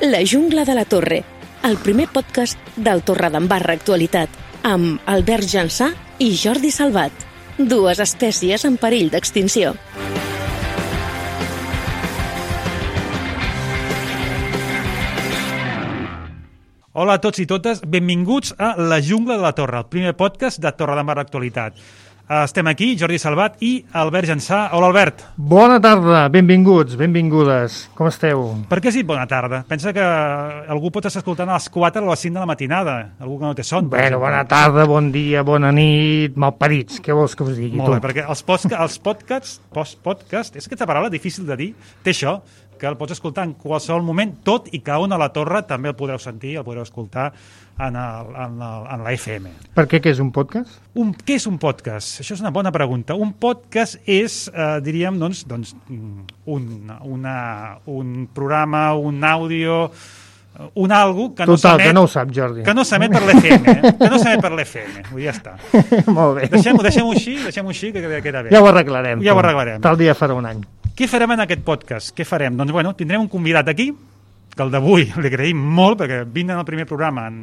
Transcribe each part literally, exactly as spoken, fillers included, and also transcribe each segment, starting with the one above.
La jungla de la Torre, el primer podcast del Torredembarra Actualitat, amb Albert Jansà i Jordi Salvat, dues espècies en perill d'extinció. Hola a tots i totes, benvinguts a La jungla de la Torre, el primer podcast de Torredembarra Actualitat. Estem aquí, Jordi Salvat i Albert Jansà. Hola, Albert. Bona tarda, benvinguts, benvingudes. Com esteu? Per què has dit bona tarda? Pensa que algú pot estar escoltant a les quatre o a les cinc de la matinada, algú que no té son. Bueno, bona tarda, bon dia, bona nit, malparits, què vols que us digui? Molt bé, perquè els, postca els podcasts, post-podcast, és aquesta paraula difícil de dir, té això, que el pots escoltar en qualsevol moment, tot i que on a la Torre també el podreu sentir, el podreu escoltar en, el, en, el, en la F M. Per què, què és un podcast? Un, què és un podcast? Això és una bona pregunta. Un podcast és, eh, diríem, doncs, doncs un, una, un programa, un àudio, un algo que no Total, s'emet... que no ho sap, Jordi. Que no s'emet per l'F M, eh? Que no s'emet per l'F M. Vull dir, ja està. Molt bé. Deixem-ho deixem així, deixem-ho així, que queda bé. Ja ho arreglarem. Ja ho arreglarem. Tal dia farà un any. Què farem en aquest podcast? Què farem? Doncs, bueno, tindrem un convidat aquí, que el d'avui li agraïm molt, perquè vindre al primer programa en,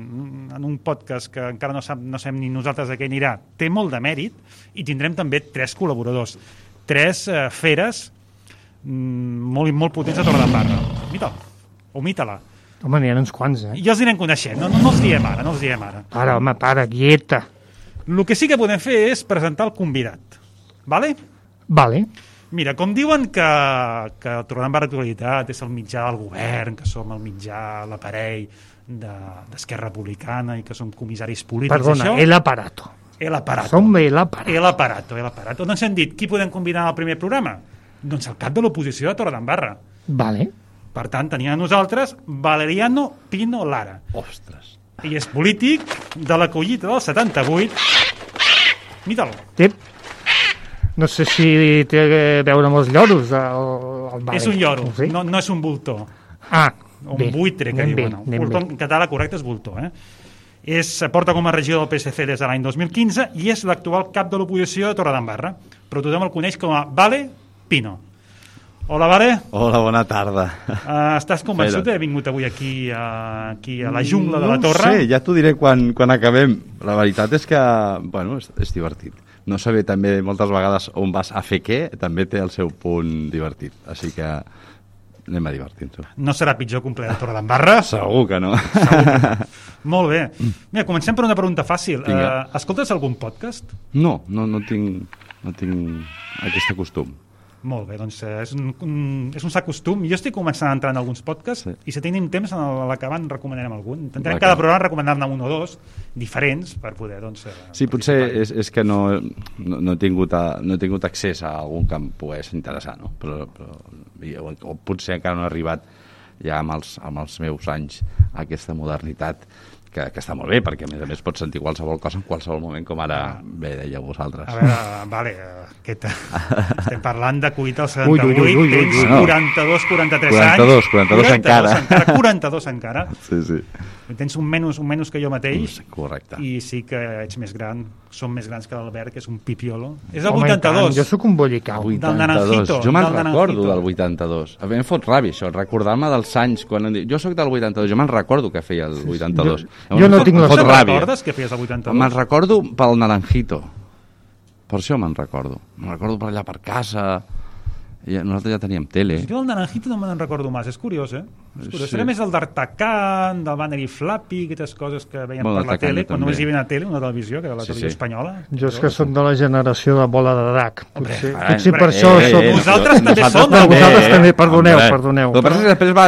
en un podcast que encara no, sap, no sabem ni nosaltres a què anirà, té molt de mèrit, i tindrem també tres col·laboradors, tres eh, feres mm, molt, molt potents a Torredembarra. Mita-la, o mita-la. Home, n'hi ha uns quants, eh? I els anirem coneixent, no, no, no els diem ara, no els diem ara. Para, home, para, quieta. El que sí que podem fer és presentar el convidat, vale? Vale. Mira, com diuen que, que Torredembarra Actualitat és el mitjà del govern, que som el mitjà, l'aparell d'Esquerra Republicana i que som comissaris polítics, Perdona, això... el aparato. El aparato. Som el aparato. El aparato, el aparato. Doncs hem dit, qui podem convidar al primer programa? Doncs el cap de l'oposició de Torredembarra. Vale. Per tant, tenia a nosaltres Valeriano Pino Lara. Ostres. I és polític de la collita del setanta-vuit. Mira-lo. Té... No sé si té a veure amb els lloros. El, el vale. És un lloro, no, sé. no, no és un voltor. Ah, un bé. buitre, que anem diuen. Bé, Un voltor, en català correcte és voltor. Eh? És, porta com a regidor del P S C des de l'any dos mil quinze i és l'actual cap de l'oposició de Torredembarra, però tothom el coneix com a Vale Pino. Hola, Vale. Hola, bona tarda. Uh, estàs convençut d'haver vingut avui aquí a, aquí a la jungla de la Torre? No sé, ja t'ho diré quan, quan acabem. La veritat és que, bueno, és, és divertit. No saber també moltes vegades on vas a fer què, també té el seu punt divertit. Així que anem a divertir-nos. No serà pitjor que un ple de Torredembarra? Segur que no. Segur que no. Molt bé. Mira, comencem per una pregunta fàcil. Uh, escoltes algun podcast? No, no, no tinc, no tinc aquest costum. Molt bé, doncs és un, un, és un sac costum. Jo estic començant a entrar en alguns podcasts, sí. I si tenim temps, a l'acabant recomanarem algun. Intentarem cada programa recomanar-ne un o dos diferents per poder, doncs... Sí, potser és, és que no, no, no, he tingut a, no he tingut accés a algun que em pogués interessar, no? Però, però, o, o potser encara no he arribat ja amb els, amb els meus anys a aquesta modernitat que, que està molt bé, perquè a més a més pots sentir qualsevol cosa en qualsevol moment, com ara bé dèieu vosaltres. A veure, vale, aquest, estem parlant de cuita al setanta-vuit, ui, ui, ui, ui, tens no. quaranta-dos, quaranta-tres quaranta-dos, anys. quaranta-dos encara. encara. quaranta-dos encara. Sí, sí. Tens un menys, un menys que jo mateix. Correcte. I sí que ets més gran, som més grans que l'Albert, que és un pipiolo. És el Home, vuitanta-dos. Jo sóc un bollicau. Del Naranjito. Jo me'n del recordo Naranjito. del vuitanta-dos. A mi em fot ràbia això, recordar-me dels anys. Quan... Jo sóc del vuitanta-dos, jo me'n recordo que feia el vuitanta-dos. Jo, jo no tinc la fot Te'n ràbia. recordes que feies el vuitanta-dos? Me'n recordo pel Naranjito. Per això me'n recordo. Me'n recordo per allà per casa. I nosaltres ja teníem tele. Jo del Naranjito no me'n recordo més, és curiós, eh? És curiós. Sí. Era més el d'Artacan, del Banner i Flappy, aquestes coses que veiem Bueno, per la d'Artacan tele, quan també. només hi havia una tele, una televisió, que era la Sí, televisió sí. espanyola. Jo és que soc de la generació de bola de drac. Potser, Hombre, potser hombre, per això eh, soc... eh, Nosaltres també nosaltres som, No, també, vosaltres eh? també, perdoneu, Hombre. perdoneu. El que passa és que després va,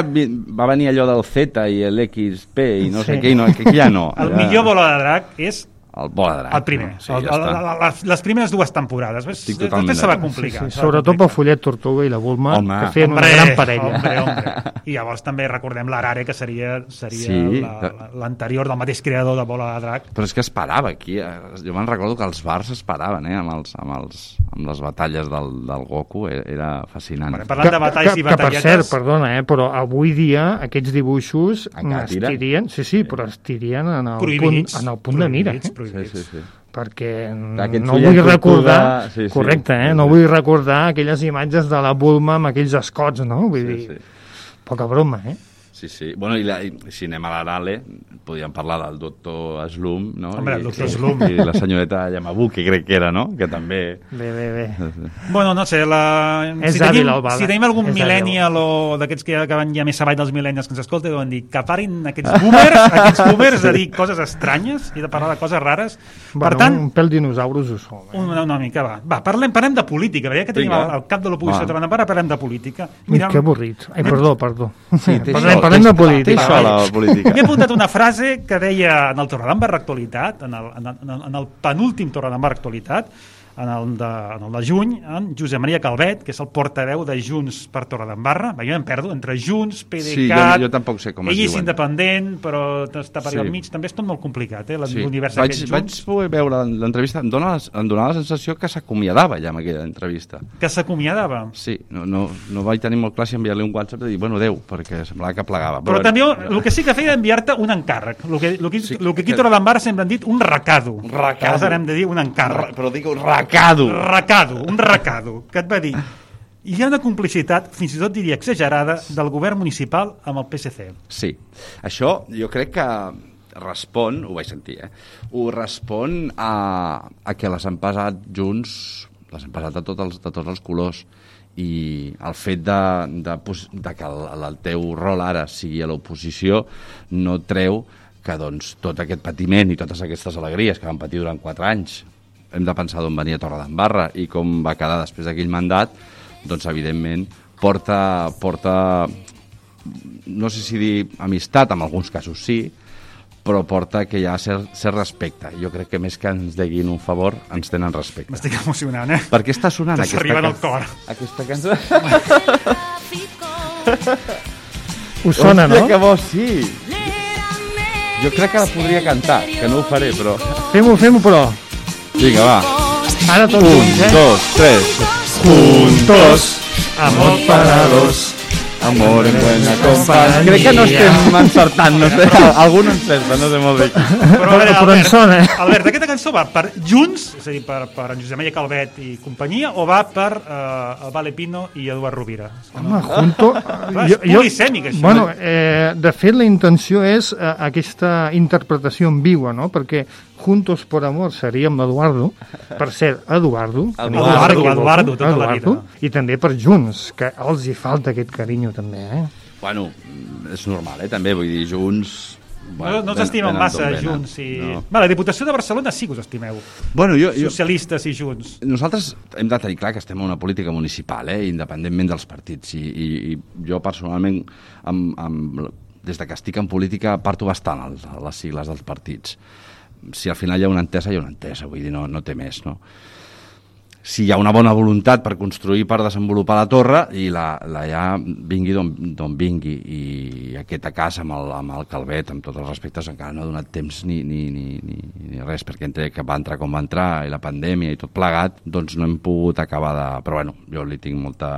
va venir allò del Z i l'X P i no sé Sí. què, i no, que aquí ja no. El ja... millor bola de drac és El bola de drac. el primer. Sí, el, ja el, està. el, les, les primeres dues temporades. Ves, Estic totalment després se va d'acord. complicar. Sí, sí, se va sobretot complicar. pel Follet Tortuga i la Bulma, Home. que feien Hombre, una gran parella. Hombre, hombre. I llavors també recordem l'Arare, que seria, seria Sí. l'anterior del mateix creador de Bola de Drac. Però és que es parava aquí. eh? Jo me'n recordo que els bars es paraven, eh? Amb, els, amb, els, amb les batalles del, del Goku. Era, era fascinant. Bueno, parlant de batalles i que, que per batalletes... cert, perdona, eh, però avui dia aquests dibuixos Encara es tiren? tirien, sí, sí, però es tirien en el, punt, Prohibits. en el punt de mira. Prohibits, Eh? prohibits. Sí, sí, sí. Perquè Aquest no Follet vull Tortuga, recordar, sí, sí. correcte, eh? Sí, no sí. vull recordar aquelles imatges de la Bulma amb aquells escots, no? Vull Sí, dir, sí. poca broma, eh? Sí, sí. Bueno, i, la, i si anem a l'Arale, podríem parlar del doctor Slum, no? Hombre, el doctor I, Slum. I la senyoreta Yamabuki, crec que era, no? Que també... Bé, bé, bé. Bueno, no sé, la... És si, tenim, hàbil, el Val, si tenim algun és millennial o d'aquests que ja van ja més avall dels millennials que ens escolta, deuen dir que parin aquests boomers, aquests boomers de dir coses estranyes i de parlar de coses rares. Bueno, per tant, un pèl dinosaures ho som. Eh? una, una mica, va. Va, parlem, parlem de política, perquè ja que tenim Vinga. el, el cap de l'oposició Va. de Bandambara, parlem de política. Ui, que avorrit. Ai, perdó, perdó. Sí, té parlem, això, parlem té- de política. Té això, la política. M'he apuntat una frase que deia en el Torredembarra Actualitat, en el, en el, en el penúltim Torredembarra Actualitat, en el, de, en el de juny, en Josep Maria Calvet, que és el portaveu de Junts per Torredembarra. Va, jo em perdo entre Junts, PDeCAT... Sí, jo, jo tampoc sé com es ell és diuen. independent, però està per allà Sí. al mig. També és tot molt complicat, eh, Sí. l'univers Vaig, d'aquests vaig Junts. poder veure l'entrevista, em, dona, em donava la sensació que s'acomiadava ja amb aquella entrevista. Que s'acomiadava. Sí, no, no, no vaig tenir molt clar si enviar-li un WhatsApp i dir, bueno, adeu, perquè semblava que plegava. Però també el que sí que feia era enviar-te un encàrrec. El que, el que, Sí, el que aquí que- a Torredembarra sempre han dit un recado. Un recado. Que ara hem de dir un encàrrec. Però dic un racado. Recado, un recado, que et va dir hi ha una complicitat, fins i tot diria exagerada, del govern municipal amb el P S C. Sí, això jo crec que respon, ho vaig sentir, eh? ho respon a, a que les han pesat junts, les han pesat de, tot els, de tots els colors, i el fet de, de, de que el, el teu rol ara sigui a l'oposició no treu que doncs, tot aquest patiment i totes aquestes alegries que van patir durant quatre anys hem de pensar d'on venia Torredembarra i com va quedar després d'aquell mandat, doncs evidentment porta, porta no sé si dir amistat, en alguns casos sí, però porta que hi ha cert, cert respecte. Jo crec que més que ens deguin un favor, ens tenen respecte. M'estic emocionant, eh? Per què està sonant T'està aquesta, arribant can... al cor. aquesta cançó? Us sona, Hòstia, no? que bo, sí! Jo crec que la podria cantar, que no ho faré, però... Fem-ho, fem-ho, però. Vinga, va. Ara tots Un, junts, eh? dos, tres. Juntos, amor para dos. Amor en buena companyia. Crec que no estem encertant, no sé. Algú no encerta, no sé molt bé. Però, a veure, Però en Albert, sona, eh? Albert, aquesta cançó va per Junts, és a dir, per, per en Josep Maria Calvet i companyia, o va per eh, el Vale Pino i Eduard Rovira? Home, junto... Clar, és polisèmic, això. Bueno, eh, de fet, la intenció és eh, aquesta interpretació en viva, no? Perquè Juntos por Amor seria amb l'Eduardo, per cert, Eduardo, Eduardo, Eduardo, tota la vida. i també per Junts, que els hi falta aquest carinyo també, eh? Bueno, és normal, eh, també, vull dir, junts... No, no us ven- estimen venen massa, d'on venen. Junts. I... No. Va, la Diputació de Barcelona sí que us estimeu. Bueno, jo, jo, Socialistes i Junts. nosaltres hem de tenir clar que estem en una política municipal, eh, independentment dels partits, i, i, i jo personalment, amb, amb, des de que estic en política, parto bastant a les sigles dels partits. Si al final hi ha una entesa, hi ha una entesa, vull dir, no, no té més, no? Si hi ha una bona voluntat per construir, per desenvolupar la torre, i la, la ja vingui d'on vingui, i aquesta casa amb el, amb el Calvet, amb tots els respectes, encara no ha donat temps ni, ni, ni, ni, ni res, perquè entre que va entrar com va entrar, i la pandèmia i tot plegat, doncs no hem pogut acabar de... Però bueno, jo li tinc molta...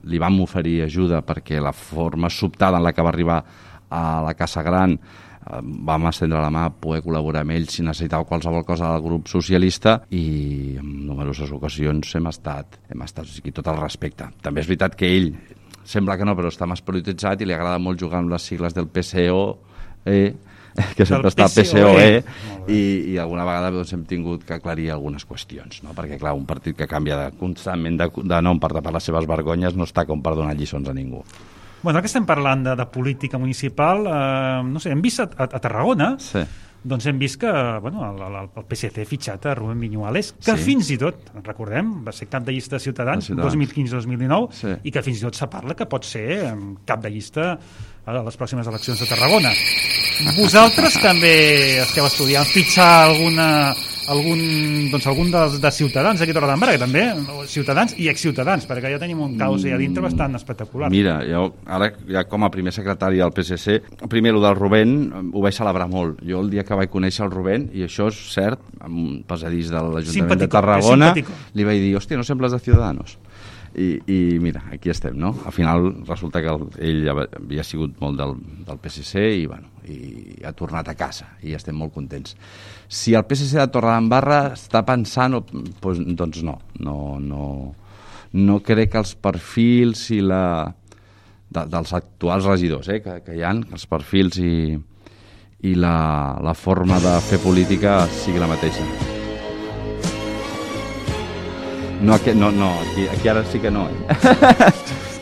Li vam oferir ajuda perquè la forma sobtada en la que va arribar a la Casa Gran vam estendre la mà a poder col·laborar amb ells si necessitava qualsevol cosa del grup socialista, i en numeroses ocasions hem estat, hem estat o sigui, tot el respecte. També és veritat que ell, sembla que no, però està més polititzat i li agrada molt jugar amb les sigles del P C O E, que sempre està P C O E, i, i alguna vegada doncs, hem tingut que aclarir algunes qüestions, no? Perquè clar, un partit que canvia de, constantment de, de nom per tapar les seves vergonyes no està com per donar lliçons a ningú. Bueno, ara que estem parlant de, de política municipal, eh, no sé, hem vist a, a, a Tarragona, Sí. doncs hem vist que bueno, el, el, el P S C ha fitxat a Rubén Viñuales, que Sí. fins i tot, recordem, va ser cap de llista de Ciutadans, De Ciutadans. dos mil quinze dos mil dinou, Sí. i que fins i tot se parla que pot ser eh, cap de llista a les pròximes eleccions de Tarragona. Vosaltres també esteu estudiant fitxar alguna, algun, doncs algun dels de Ciutadans aquí a Torredembarra, que també, Ciutadans i exciutadans, perquè ja tenim un caos allà dintre bastant espectacular. Mira, jo ara ja com a primer secretari del P S C, primer el del Rubén ho vaig celebrar molt. Jo el dia que vaig conèixer el Rubén, i això és cert, amb un passadís de l'Ajuntament de Simpàtico, Tarragona, és simpàtico. li vaig dir, hòstia, no sembles de Ciudadanos. I, i mira, aquí estem, no? Al final resulta que el, ell havia sigut molt del, del P S C i, bueno, i ha tornat a casa i estem molt contents. Si el P S C de Torredembarra està pensant, doncs, doncs no, no, no, no crec que els perfils i la, de, dels actuals regidors, eh, que, que hi ha, els perfils i, i la, la forma de fer política sigui la mateixa. No, aquí, no, no aquí, aquí ara sí que no. Eh?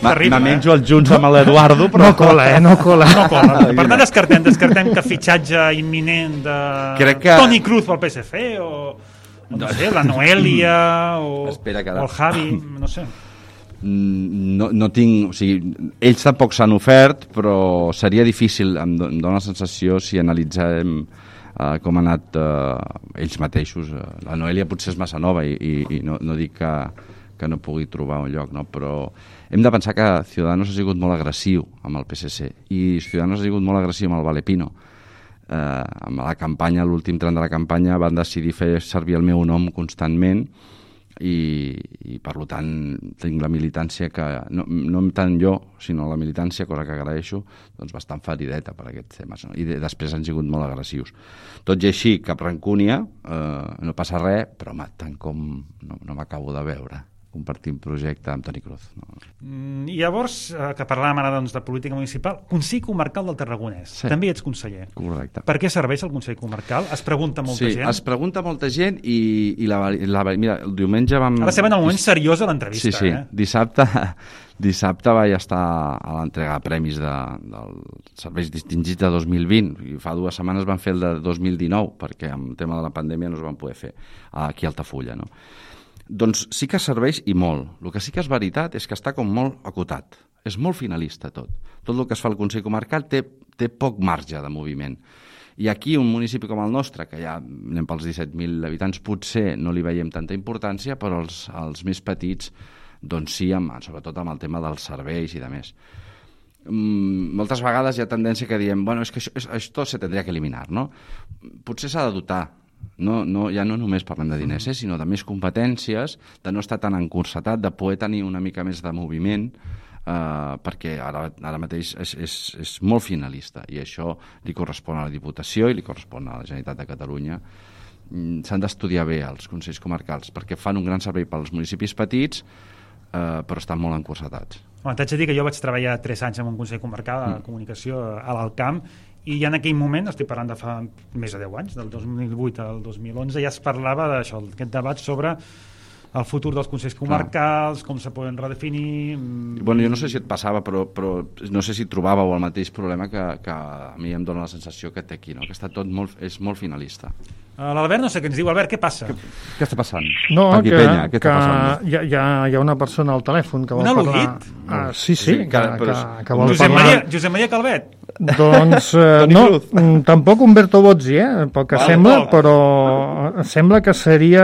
Me menjo els junts amb l'Eduardo, però... No cola, eh? No cola. No cola. Per tant, descartem, descartem que fitxatge imminent de Crec que... Toni Cruz pel P S C o, o no sé, la Noelia o, Espera, o el Javi, no sé. No, no tinc... O sigui, ells tampoc s'han ofert, però seria difícil, em dóna la sensació, si analitzem uh, com han anat uh, ells mateixos. Uh, la Noelia potser és massa nova i, i, i no, no dic que, que no pugui trobar un lloc, no? Però hem de pensar que Ciudadanos ha sigut molt agressiu amb el P S C i Ciudadanos ha sigut molt agressiu amb el Valepino. Eh, amb la campanya, l'últim tram de la campanya, van decidir fer servir el meu nom constantment i, i per tant tinc la militància que, no, no tant jo, sinó la militància, cosa que agraeixo, doncs bastant ferideta per aquests temes, no? I de, després han sigut molt agressius. Tot i així, cap rancúnia, eh, no passa res, però home, tant com no, no m'acabo de veure compartim projecte amb Toni Cruz. No? Mm, I llavors, eh, que parlàvem ara doncs, de política municipal, Consell Comarcal del Tarragonès. Sí. També ets conseller. Correcte. Per què serveix el Consell Comarcal? Es pregunta molta sí, gent. Sí, es pregunta molta gent i, i la, la, mira, el diumenge vam... Ara estem en el moment seriós de l'entrevista. Sí, sí. Eh? Dissabte, dissabte vaig estar a l'entrega de premis de, dels serveis distingits de dos mil vint. I fa dues setmanes van fer el de dos mil dinou, perquè amb el tema de la pandèmia no es van poder fer aquí a Altafulla, no? Doncs sí que serveix i molt. El que sí que és veritat és que està com molt acotat. És molt finalista tot. Tot el que es fa al Consell Comarcal té, té poc marge de moviment. I aquí un municipi com el nostre, que ja anem pels disset mil habitants, potser no li veiem tanta importància, però els, els més petits, doncs sí, amb, sobretot amb el tema dels serveis i de més. Mm, moltes vegades hi ha tendència que diem, bueno, és que això, això se tendria que eliminar, no? Potser s'ha de dotar. No, no, ja no només parlem de diners, eh, sinó de més competències, de no estar tan encursetat, de poder tenir una mica més de moviment, eh, perquè ara, ara mateix és, és, és molt finalista i això li correspon a la Diputació i li correspon a la Generalitat de Catalunya. Mm, s'han d'estudiar bé els Consells Comarcals perquè fan un gran servei pels municipis petits, eh, però estan molt encursetats. Bueno, t'haig de dir que jo vaig treballar tres anys en un Consell Comarcal de mm. comunicació a l'Alcamp i ja en aquell moment, estic parlant de fa més de deu anys, del dos mil vuit al dos mil onze, ja es parlava d'això, aquest debat sobre el futur dels consells comarcals, Clar. com se poden redefinir... Bueno, jo no sé si et passava, però, però no sé si trobàveu el mateix problema que, que a mi em dóna la sensació que té aquí, no? Que està tot molt, és molt finalista. L'Albert no sé què ens diu. Albert, què passa? Què, què està passant? No, aquí que, Penya, què que està passant? hi, ha, hi ha una persona al telèfon que vol un parlar... al·ludit? Ah, sí, sí, sí que, que, que, que vol Josep parlar... Maria, Josep Maria Calvet? Doncs eh, no, tampoc Humberto Bozzi, eh, pel que Val, sembla, val. però sembla que seria...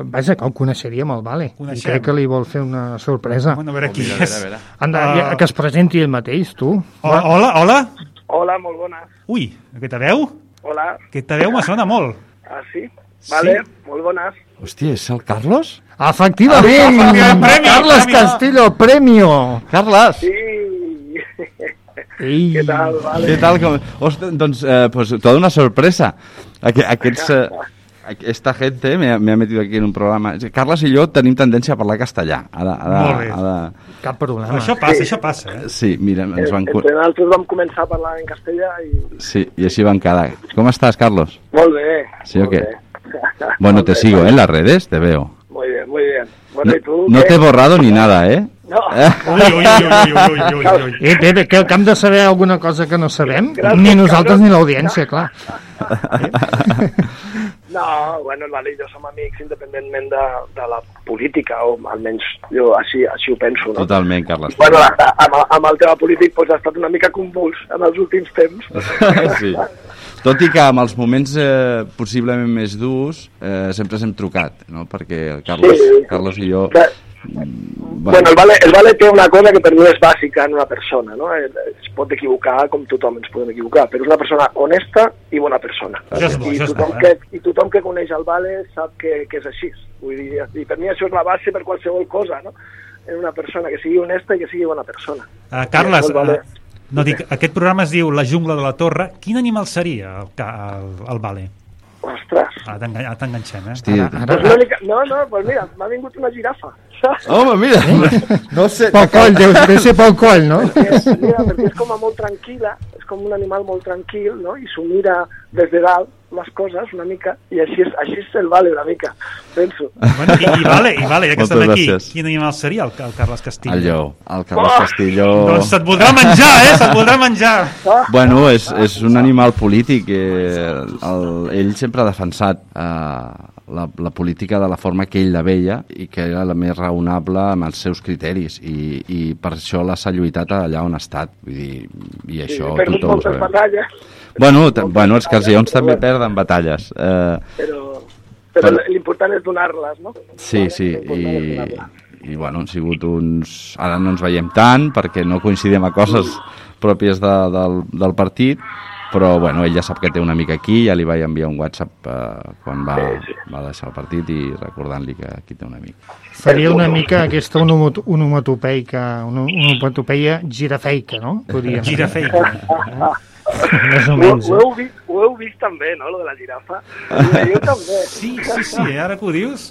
Vaja, que el coneixeríem, el Vale. Coneixem. I crec que li vol fer una sorpresa. Bueno, a veure qui oh, mira, és. a veure, a veure. Anda, Uh, que es presenti ell mateix, tu. Hola, hola, hola. Hola, molt bones. Ui, aquesta veu? Hola. Aquesta veu me sona molt. Ah, sí? Vale, sí? Molt bones. Hòstia, és el Carlos? Efectivament! Ah, premi, Carles premi. Castillo, premio! Carles! Sí. Ei. Què tal, vale? Què tal? Com... Ostres, doncs, eh, pues, toda una sorpresa. Aqu aquests... Eh... Esta gente me ha, me ha metido aquí en un programa. Carles i jo tenim tendència a parlar castellà. Ha de, ha de, Molt bé. ha de... Cap problema. Això passa, això passa, eh? Sí, mira, ens van... Entre nosaltres vam començar a parlar en castellà i... Sí, i així van quedar. ¿Cómo estás, Carlos? Molt bé. ¿Sí o molt qué? bé. Bueno, Molt te bé, sigo, vale. ¿eh? En las redes, te veo. Muy bien, muy bien. Bueno, No, ¿y tú? no qué? te he borrado ni nada, ¿eh? No. Ui, ui, ui, ui, ui, ui, ui. Eh, bé, bé, que, que hem de saber alguna cosa que no sabem? Gràcies, Ni nosaltres Carlos. ni l'audiència, clar. No, bueno, el Vale i jo som amics independentment de, de la política, o almenys jo així, així ho penso, no? Totalment, Carles. Bueno, amb, amb el tema polític pues, ha estat una mica convuls en els últims temps. Sí. Tot i que amb els moments eh, possiblement més durs eh, sempre s'hem trucat, no? Perquè el Carlos, Sí. Carlos i jo... Clar. Bueno, el vale, el vale té una cosa que per mi és bàsica en una persona, no? Es pot equivocar com tothom ens podem equivocar, però és una persona honesta i bona persona. Això és bo, I això és tothom, bo, que, eh? I tothom que coneix el vale sap que, que és així. Vull dir, i per mi això és la base per qualsevol cosa, no? En una persona que sigui honesta i que sigui bona persona. Uh, Carles, I això el vale... uh, no dic, aquest programa es diu La jungla de la torre. Quin animal seria el, el, el Vale? Ostres. Ah, t'engan- ah, t'enganxem, eh? Hosti, Ara, Pues una mica... No, no, pues mira, m'ha vingut una girafa. Home, mira, no sé... Pel coll, deu, deu ser pel coll, no? Perquè, mira, perquè és com a molt tranquil·la, és com un animal molt tranquil, no? I s'ho mira des de dalt, les coses, una mica, i així és, així és el Vale, una mica, penso. Bueno, i, i vale, i vale, ja que Moltes estem aquí, gràcies. quin animal seria el, el Carles Castillo? El lleó, el Carles Oh! Castillo... Doncs se't voldrà menjar, eh? Se't voldrà menjar. Bueno, és, és un animal polític. Eh, el, ell sempre ha defensat eh, la, la política de la forma que ell la veia i que era la més raonable amb els seus criteris. I, i per això l'ha lluitat allà on ha estat. Vull dir, i això Sí, perdut tothom ho moltes sabem. batalles, Bueno, t- bueno, és que els lleons també perden batalles. Eh, però, però Però- l'important és donar-les, no? sí, sí, L'important és i, donar-les. i bueno, han sigut uns... Ara no ens veiem tant perquè no coincidim a coses pròpies de, del, del partit, però bueno, ell ja sap que té un amic aquí, ja li vaig enviar un WhatsApp eh, quan va, Sí, sí. va deixar el partit i recordant-li que aquí té un amic. Faria una mica aquesta onomat- onomatopeica, ono- onomatopeia girafeica, no? Podríem dir. Girafeica. Més o Ho, menys. ho, Eh? heu vist, ho heu vist també, no, lo de la girafa? I jo també. Sí, sí, sí, eh? Ara que ho dius.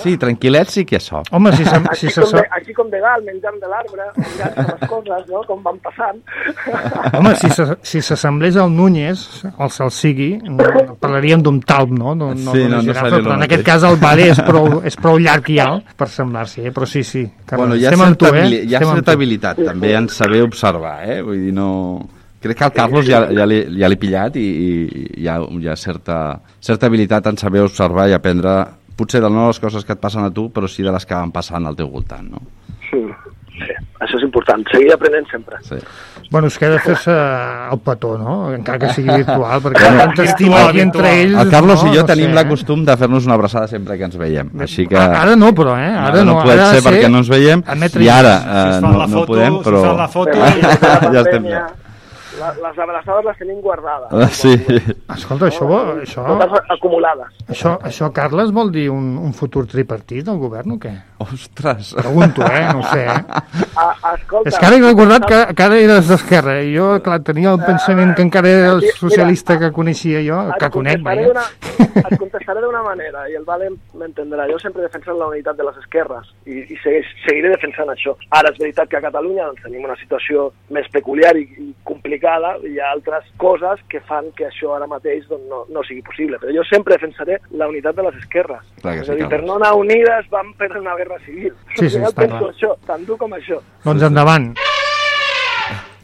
Sí, tranquil·let sí que és so. Home, si, se, Així, si se, com de, així com de dalt, menjant de l'arbre, mirant les coses, no?, com van passant. home, si se, si s'assemblés al Núñez, o el Salsigui, no, parlaríem d'un talp, no? No, no, Sí, d'una no, no girafa, seria el però en mateix. aquest cas el Vale és prou, és prou llarg i alt per semblar-s'hi, eh? Però sí, sí. Carles, Bueno, hi ha estem amb tu, certa, eh? habili- hi ha Estem amb certa tu. habilitat també en saber observar, eh? Vull dir, no... Crec que el Carlos ja, ja l'he ja l'he pillat i, i hi ha, hi ha certa, certa habilitat en saber observar i aprendre, potser de no les coses que et passen a tu, però sí de les que van passant al teu voltant, no? Sí, sí, això és important, seguir aprenent sempre. Sí. Bueno, us queda fer-se el petó, no? Encara que sigui virtual, perquè Bueno, tanta estima virtual, aquí entre virtual. ells... El Carlos no, i jo no tenim sé, la eh? costum de fer-nos una abraçada sempre que ens veiem, així que... Ara no, però, eh? Ara, Ara no no, pot ara ha de ser perquè no ens veiem admetre- i ara Si eh, us fan no, la no foto, podem, si però... us fan la foto... Però i- la Ja estem pandèmia, bé. la, les abraçades les tenim guardades. Ah, sí. Escolta, això, vol- això, Totes acumulades. això, això, Carles, vol dir un, un futur tripartit del govern o què? Ostres! Pregunto, eh? No ho sé, eh? A, escolta, És que ara he recordat que, que ara eres d'esquerra i jo, clar, tenia el pensament que encara era el socialista que coneixia jo, Et que conec, contestaré vaja. d'una- Et contestaré d'una manera, i el Vale m'entendrà. Jo sempre he defensat la unitat de les esquerres, i, i segueix, seguiré defensant això. Ara, és veritat que a Catalunya doncs, tenim una situació més peculiar i, i complicada, i hi ha altres coses que fan que això ara mateix doncs, no, no sigui possible. Però jo sempre defensaré la unitat de les esquerres. Clar que és sí, a dir, per Carles. no anar unides vam perdre una guerra civil. Sí, sí, Jo està penso clar. això, tant dur com això. Doncs endavant.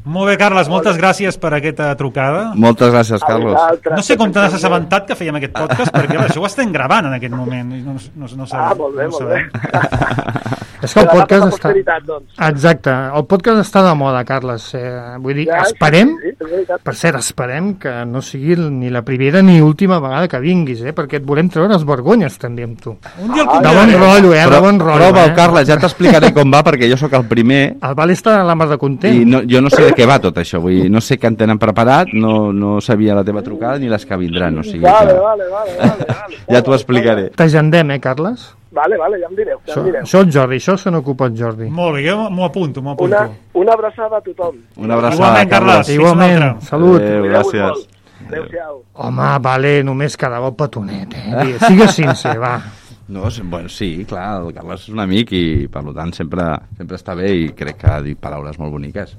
Molt bé, Carles, moltes gràcies per aquesta trucada. Moltes gràcies, A Carlos. vosaltres, No sé com te n'has també. assabentat que fèiem aquest podcast, perquè això ho estem gravant en aquest moment. i No, no, no, sabem, Ah, molt bé, no molt sabem. bé. És que el Per la podcast nostra està... posteritat, doncs. Exacte, el podcast està de moda, Carles. Eh, vull dir, Ja, esperem, sí, sí, és veritat. per cert, esperem que no sigui ni la primera ni última vegada que vinguis, eh? Perquè et volem treure les vergonyes, també, amb tu. Un dia el De bon convidarem. rotllo, eh? De Però, bon rotllo, prova, eh? Carles, ja t'explicaré com va, perquè jo sóc el primer El Val està a la mar de content. i no, jo no sé de què va tot això. Vull dir, no sé què en tenen preparat, no, no sabia la teva trucada ni les que vindran. O sigui Vale, que vale, vale, vale, vale. ja t'ho explicaré. T'agendem, eh, Carles? Vale, vale, ja em direu, ja Això, em direu. això el Jordi, això se n'ocupa el Jordi. Molt bé, jo m'ho apunto, m'ho apunto. Una, una abraçada a tothom. Una abraçada, Igualment, Carles. Carles. Fins una Igualment, altra. salut. Adéu, Cuideu-vos gràcies. molt. Adéu-siau. Home, vale, només quedava el petonet, eh? Sigues sincer, va. No, sí, bueno, sí, clar, el Carles és un amic i per tant sempre, sempre està bé i crec que ha dit paraules molt boniques.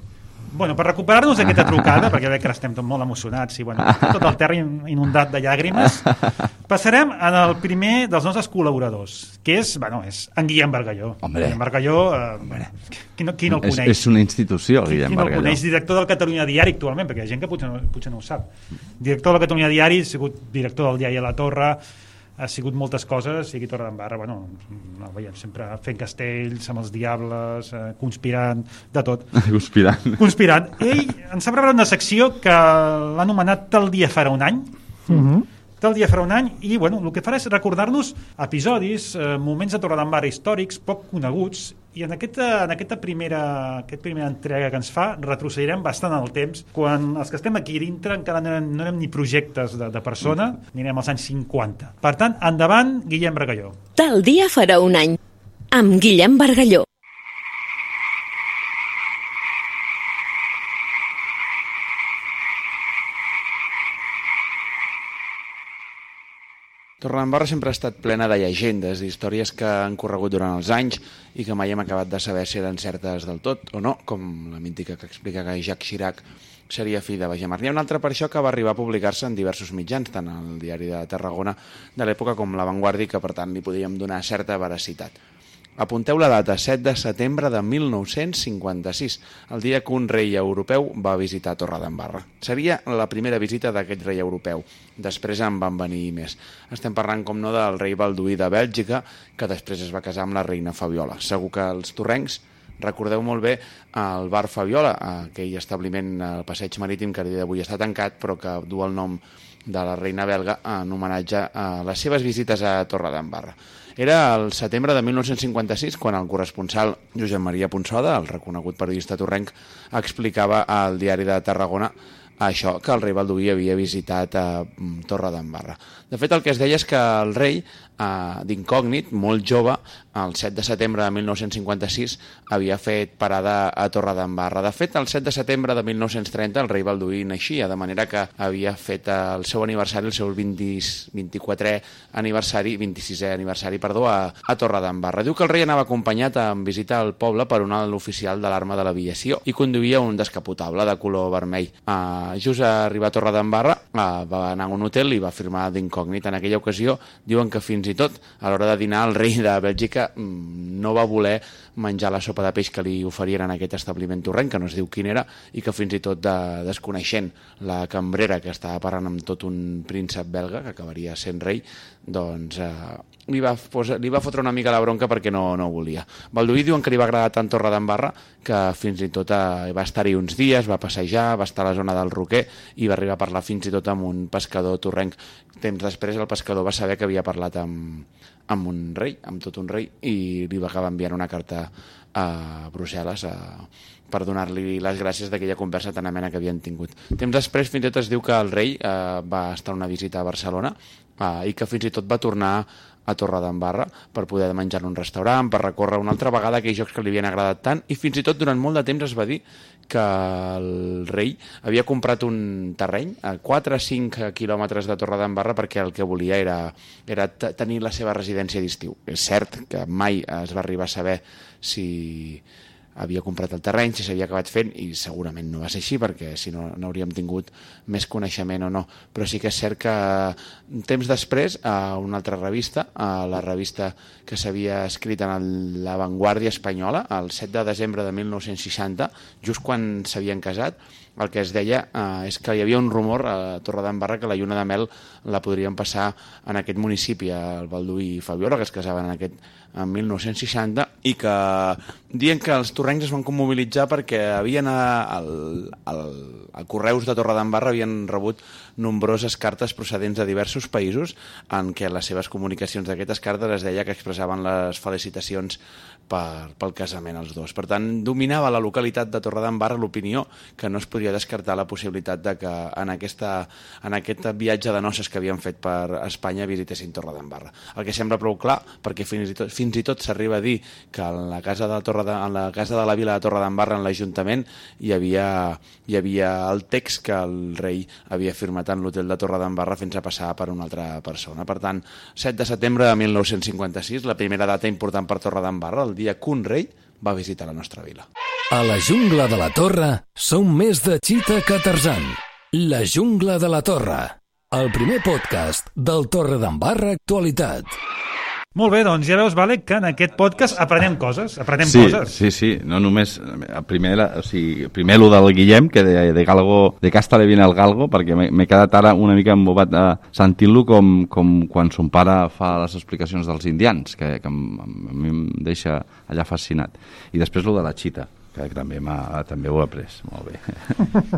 Bueno, per recuperar-nos d'aquesta trucada, perquè veig que estem tot molt emocionats i bueno, tot el terra inundat de llàgrimes, passarem al primer dels nostres col·laboradors, que és, bueno, és en Guillem Bargalló. Hombre. Guillem Bargalló, eh, qui, no, qui no el És, coneix? és una institució, el Qui, Guillem qui no el Bargalló. coneix? Director del Catalunya Diari actualment, perquè hi ha gent que potser no, potser no ho sap. Director del Catalunya Diari, ha sigut director del diari a la Torre, ha sigut moltes coses, sigui Torre d'Embarra, bueno, no, veiem, sempre fent castells amb els diables, eh, conspirant, de tot. Conspirant. Conspirant. Ell ens ha preparat una secció que l'ha anomenat Tal dia farà un any. Uh -huh. Tal dia farà un any, i bueno, el que farà és recordar-nos episodis, eh, moments de Torredembarra històrics, poc coneguts, i en aquesta, en aquesta primera, aquesta primera entrega que ens fa retrocedirem bastant en el temps, quan els que estem aquí dintre encara no érem, no érem ni projectes de, de persona, ni anem als anys cinquanta. Per tant, endavant, Guillem Bargalló. Tal dia farà un any, amb Guillem Bargalló. Torredembarra sempre ha estat plena de llegendes, d'històries que han corregut durant els anys i que mai hem acabat de saber si eren certes del tot o no, com la mítica que explica que Jacques Chirac seria fill de Bagemar. N'hi ha una altra per això que va arribar a publicar-se en diversos mitjans, tant al diari de Tarragona de l'època com La Vanguardia, que per tant li podíem donar certa veracitat. Apunteu la data, set de setembre de mil nou-cents cinquanta-sis, el dia que un rei europeu va visitar Torredembarra. Seria la primera visita d'aquest rei europeu. Després en van venir més. Estem parlant, com no, del rei Balduí de Bèlgica, que després es va casar amb la reina Fabiola. Segur que els torrencs recordeu molt bé el bar Fabiola, aquell establiment al passeig marítim que a dia d'avui està tancat, però que du el nom de la reina belga en homenatge a les seves visites a Torredembarra. Era el setembre de mil nou-cents cinquanta-sis quan el corresponsal Josep Maria Ponsoda, el reconegut periodista torrenc, explicava al diari de Tarragona això, que el rei Balduí havia visitat a Torredembarra. De fet, el que es deia és que el rei, d'incògnit, molt jove, el set de setembre de mil nou-cents cinquanta-sis, havia fet parada a Torredembarra. De fet, el set de setembre de mil nou-cents trenta el rei Balduí naixia, de manera que havia fet el seu aniversari, el seu vint-i-quatrè aniversari, vint-i-sisè aniversari, perdó, a, a Torredembarra. Diu que el rei anava acompanyat en visita al poble per un alt oficial de l'arma de l'aviació i conduïa un descapotable de color vermell. Uh, just a arribar a Torredembarra, uh, va anar a un hotel i va firmar d'incògnit. En aquella ocasió diuen que fins i tot a l'hora de dinar el rei de Bèlgica no va voler menjar la sopa de peix que li oferien en aquest establiment torrenc, que no es diu quin era, i que fins i tot de, desconeixent la cambrera que estava parlant amb tot un príncep belga, que acabaria sent rei, doncs eh, li, va posar, li va fotre una mica la bronca perquè no, no volia. Balduí diuen que li va agradar tant Torredembarra que fins i tot eh, va estar-hi uns dies, va passejar, va estar a la zona del Roquer i va arribar a parlar fins i tot amb un pescador torrenc. Temps després el pescador va saber que havia parlat amb, amb un rei, amb tot un rei, i li va acabar enviant una carta a Brussel·les a, per donar-li les gràcies d'aquella conversa tan amena que havien tingut. Temps després fins i tot es diu que el rei eh, va estar una visita a Barcelona eh, i que fins i tot va tornar a Torredembarra per poder menjar en un restaurant, per recórrer una altra vegada aquells jocs que li havien agradat tant, i fins i tot durant molt de temps es va dir que el rei havia comprat un terreny a quatre a cinc quilòmetres de Torredembarra perquè el que volia era, era tenir la seva residència d'estiu. És cert que mai es va arribar a saber si havia comprat el terreny, si s'havia acabat fent, i segurament no va ser així, perquè si no n'hauríem tingut més coneixement o no. Però sí que és cert que temps després, a una altra revista, a la revista que s'havia escrit en La Vanguardia espanyola, el set de desembre de mil nou-cents seixanta, just quan s'havien casat, el que es deia eh, és que hi havia un rumor a Torredembarra que la lluna de mel la podrien passar en aquest municipi, al Balduí i Fabiola, que es casaven en, aquest, en mil nou-cents seixanta, i que diuen que els torrencs es van mobilitzar perquè havien al, al, al Correus de Torredembarra havien rebut nombroses cartes procedents de diversos països en què les seves comunicacions d'aquestes cartes es deia que expressaven les felicitacions per, pel casament als dos. Per tant, dominava la localitat de Torredembarra l'opinió que no es podia descartar la possibilitat de que en, aquesta, en aquest viatge de noces que havien fet per Espanya visitessin Torredembarra. El que sembla prou clar, perquè fins i tot, fins i tot s'arriba a dir que en la casa de, Torre de, en la, casa de la vila de Torredembarra, en l'Ajuntament, hi havia, hi havia el text que el rei havia firmat en l'hotel de Torredembarra fins a passar per una altra persona. Per tant, set de setembre de mil nou-cents cinquanta-sis, la primera data important per Torredembarra, el dia que un rei va visitar la nostra vila. A la jungla de la Torre som més de Cheetah que Tarzan. La jungla de la Torre, el primer podcast del Torredembarra Actualitat. Molt bé, doncs ja veus, Vale, que en aquest podcast aprenem coses, aprenem sí, coses. Sí, sí, no només, primer, o sigui, primer lo del Guillem, que de, de Galgo, de Casta le viene el Galgo, perquè m'he quedat ara una mica embobat a sentint-lo com, com quan son pare fa les explicacions dels indians, que, que a mi em deixa allà fascinat. I després lo de la Cheetah, que també, també ho he après, molt bé.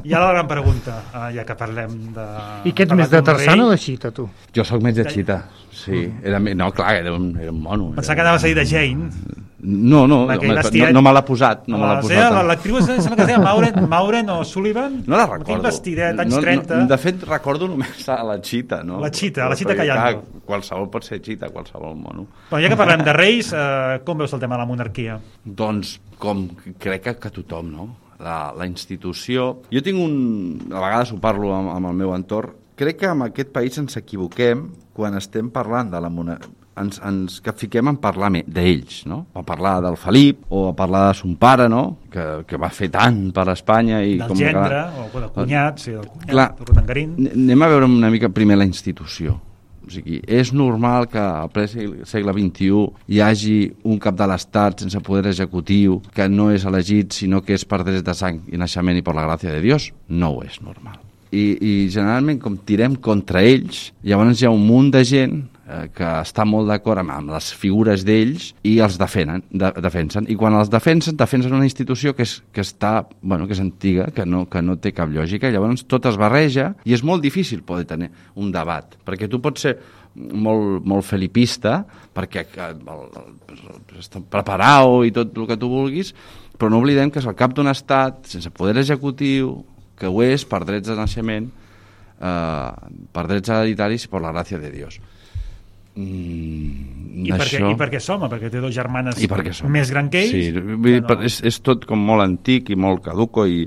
I ara la gran pregunta, ja que parlem de... I què ets més de Tarzan o de Cheetah, tu? Jo sóc més de Cheetah, sí. Era, no, clar, era un, era un mono. Pensava que anaves a dir de Jane. No, no, no, no, no me l'ha posat. No me l'ha posat. L'actriu sembla que es deia Maureen, Maureen O'Sullivan. No la recordo. Aquell vestidet, anys no, trenta. No, de fet, recordo només a la Cheetah, no? La Cheetah, la Cheetah Callando. Qualsevol pot ser Cheetah, qualsevol mono. Bueno, ja que parlem de reis, eh, com veus el tema de la monarquia? Doncs com crec que, que tothom, no? La, la institució... Jo tinc un... A vegades ho parlo amb, amb el meu entorn, crec que en aquest país ens equivoquem quan estem parlant de la monarquia, ens, ens que fiquem en parlar d'ells, no? A parlar del Felip o a parlar de son pare, no? Que, que va fer tant per Espanya. I del com gendre, que... o del cunyat, sí, del cunyat, clar, del Rotangarín. Anem a veure una mica primer la institució. O sigui, és normal que al ple segle vint-i-u hi hagi un cap de l'Estat sense poder executiu que no és elegit, sinó que és per drets de sang i naixement i per la gràcia de Dios? No ho és normal. I, i generalment, com tirem contra ells, llavors hi ha un munt de gent eh, que està molt d'acord amb, amb les figures d'ells i els defenen, de, defensen. I quan els defensen, defensen una institució que és, que està, bueno, que és antiga, que no, que no té cap lògica, llavors tot es barreja i és molt difícil poder tenir un debat, perquè tu pots ser molt, molt felipista, perquè el, el, està preparat i tot el que tu vulguis, però no oblidem que és el cap d'un estat sense poder executiu, que ho és per drets de naixement, eh, per drets hereditaris i per la gràcia de Dios. Mm, I, això... perquè, I perquè som, perquè té dos germanes som. més gran que ells. Sí, vull dir, no... és, és tot com molt antic i molt caduco i,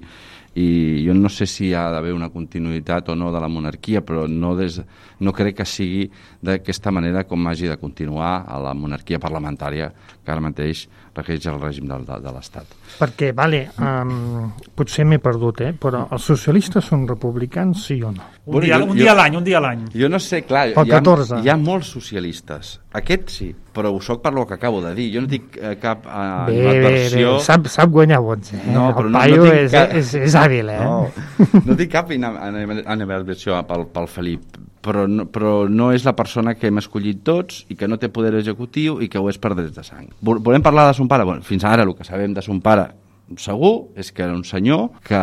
i jo no sé si hi ha d'haver una continuïtat o no de la monarquia, però no, des, no crec que sigui d'aquesta manera com hagi de continuar a la monarquia parlamentària que ara mateix regeix el règim de, de, de l'Estat. Perquè, vale, um, potser m'he perdut, eh? Però els socialistes són republicans, sí o no? Un dia, un dia a l'any, un dia a l'any. Jo no sé, clar, hi ha, hi ha molts socialistes. Aquest sí, però ho soc per lo que acabo de dir. Jo no tinc eh, cap eh, bé, animadversió... Bé, bé, sap, sap guanyar vots, eh? No, però el no, paio no tinc és, cap... és, és hàbil, eh? No, no tinc cap animadversió pel, pel Felip, però no, però no és la persona que hem escollit tots i que no té poder executiu i que ho és per drets de sang. Volem parlar de son pare? Bueno, fins ara el que sabem de son pare segur és que era un senyor que,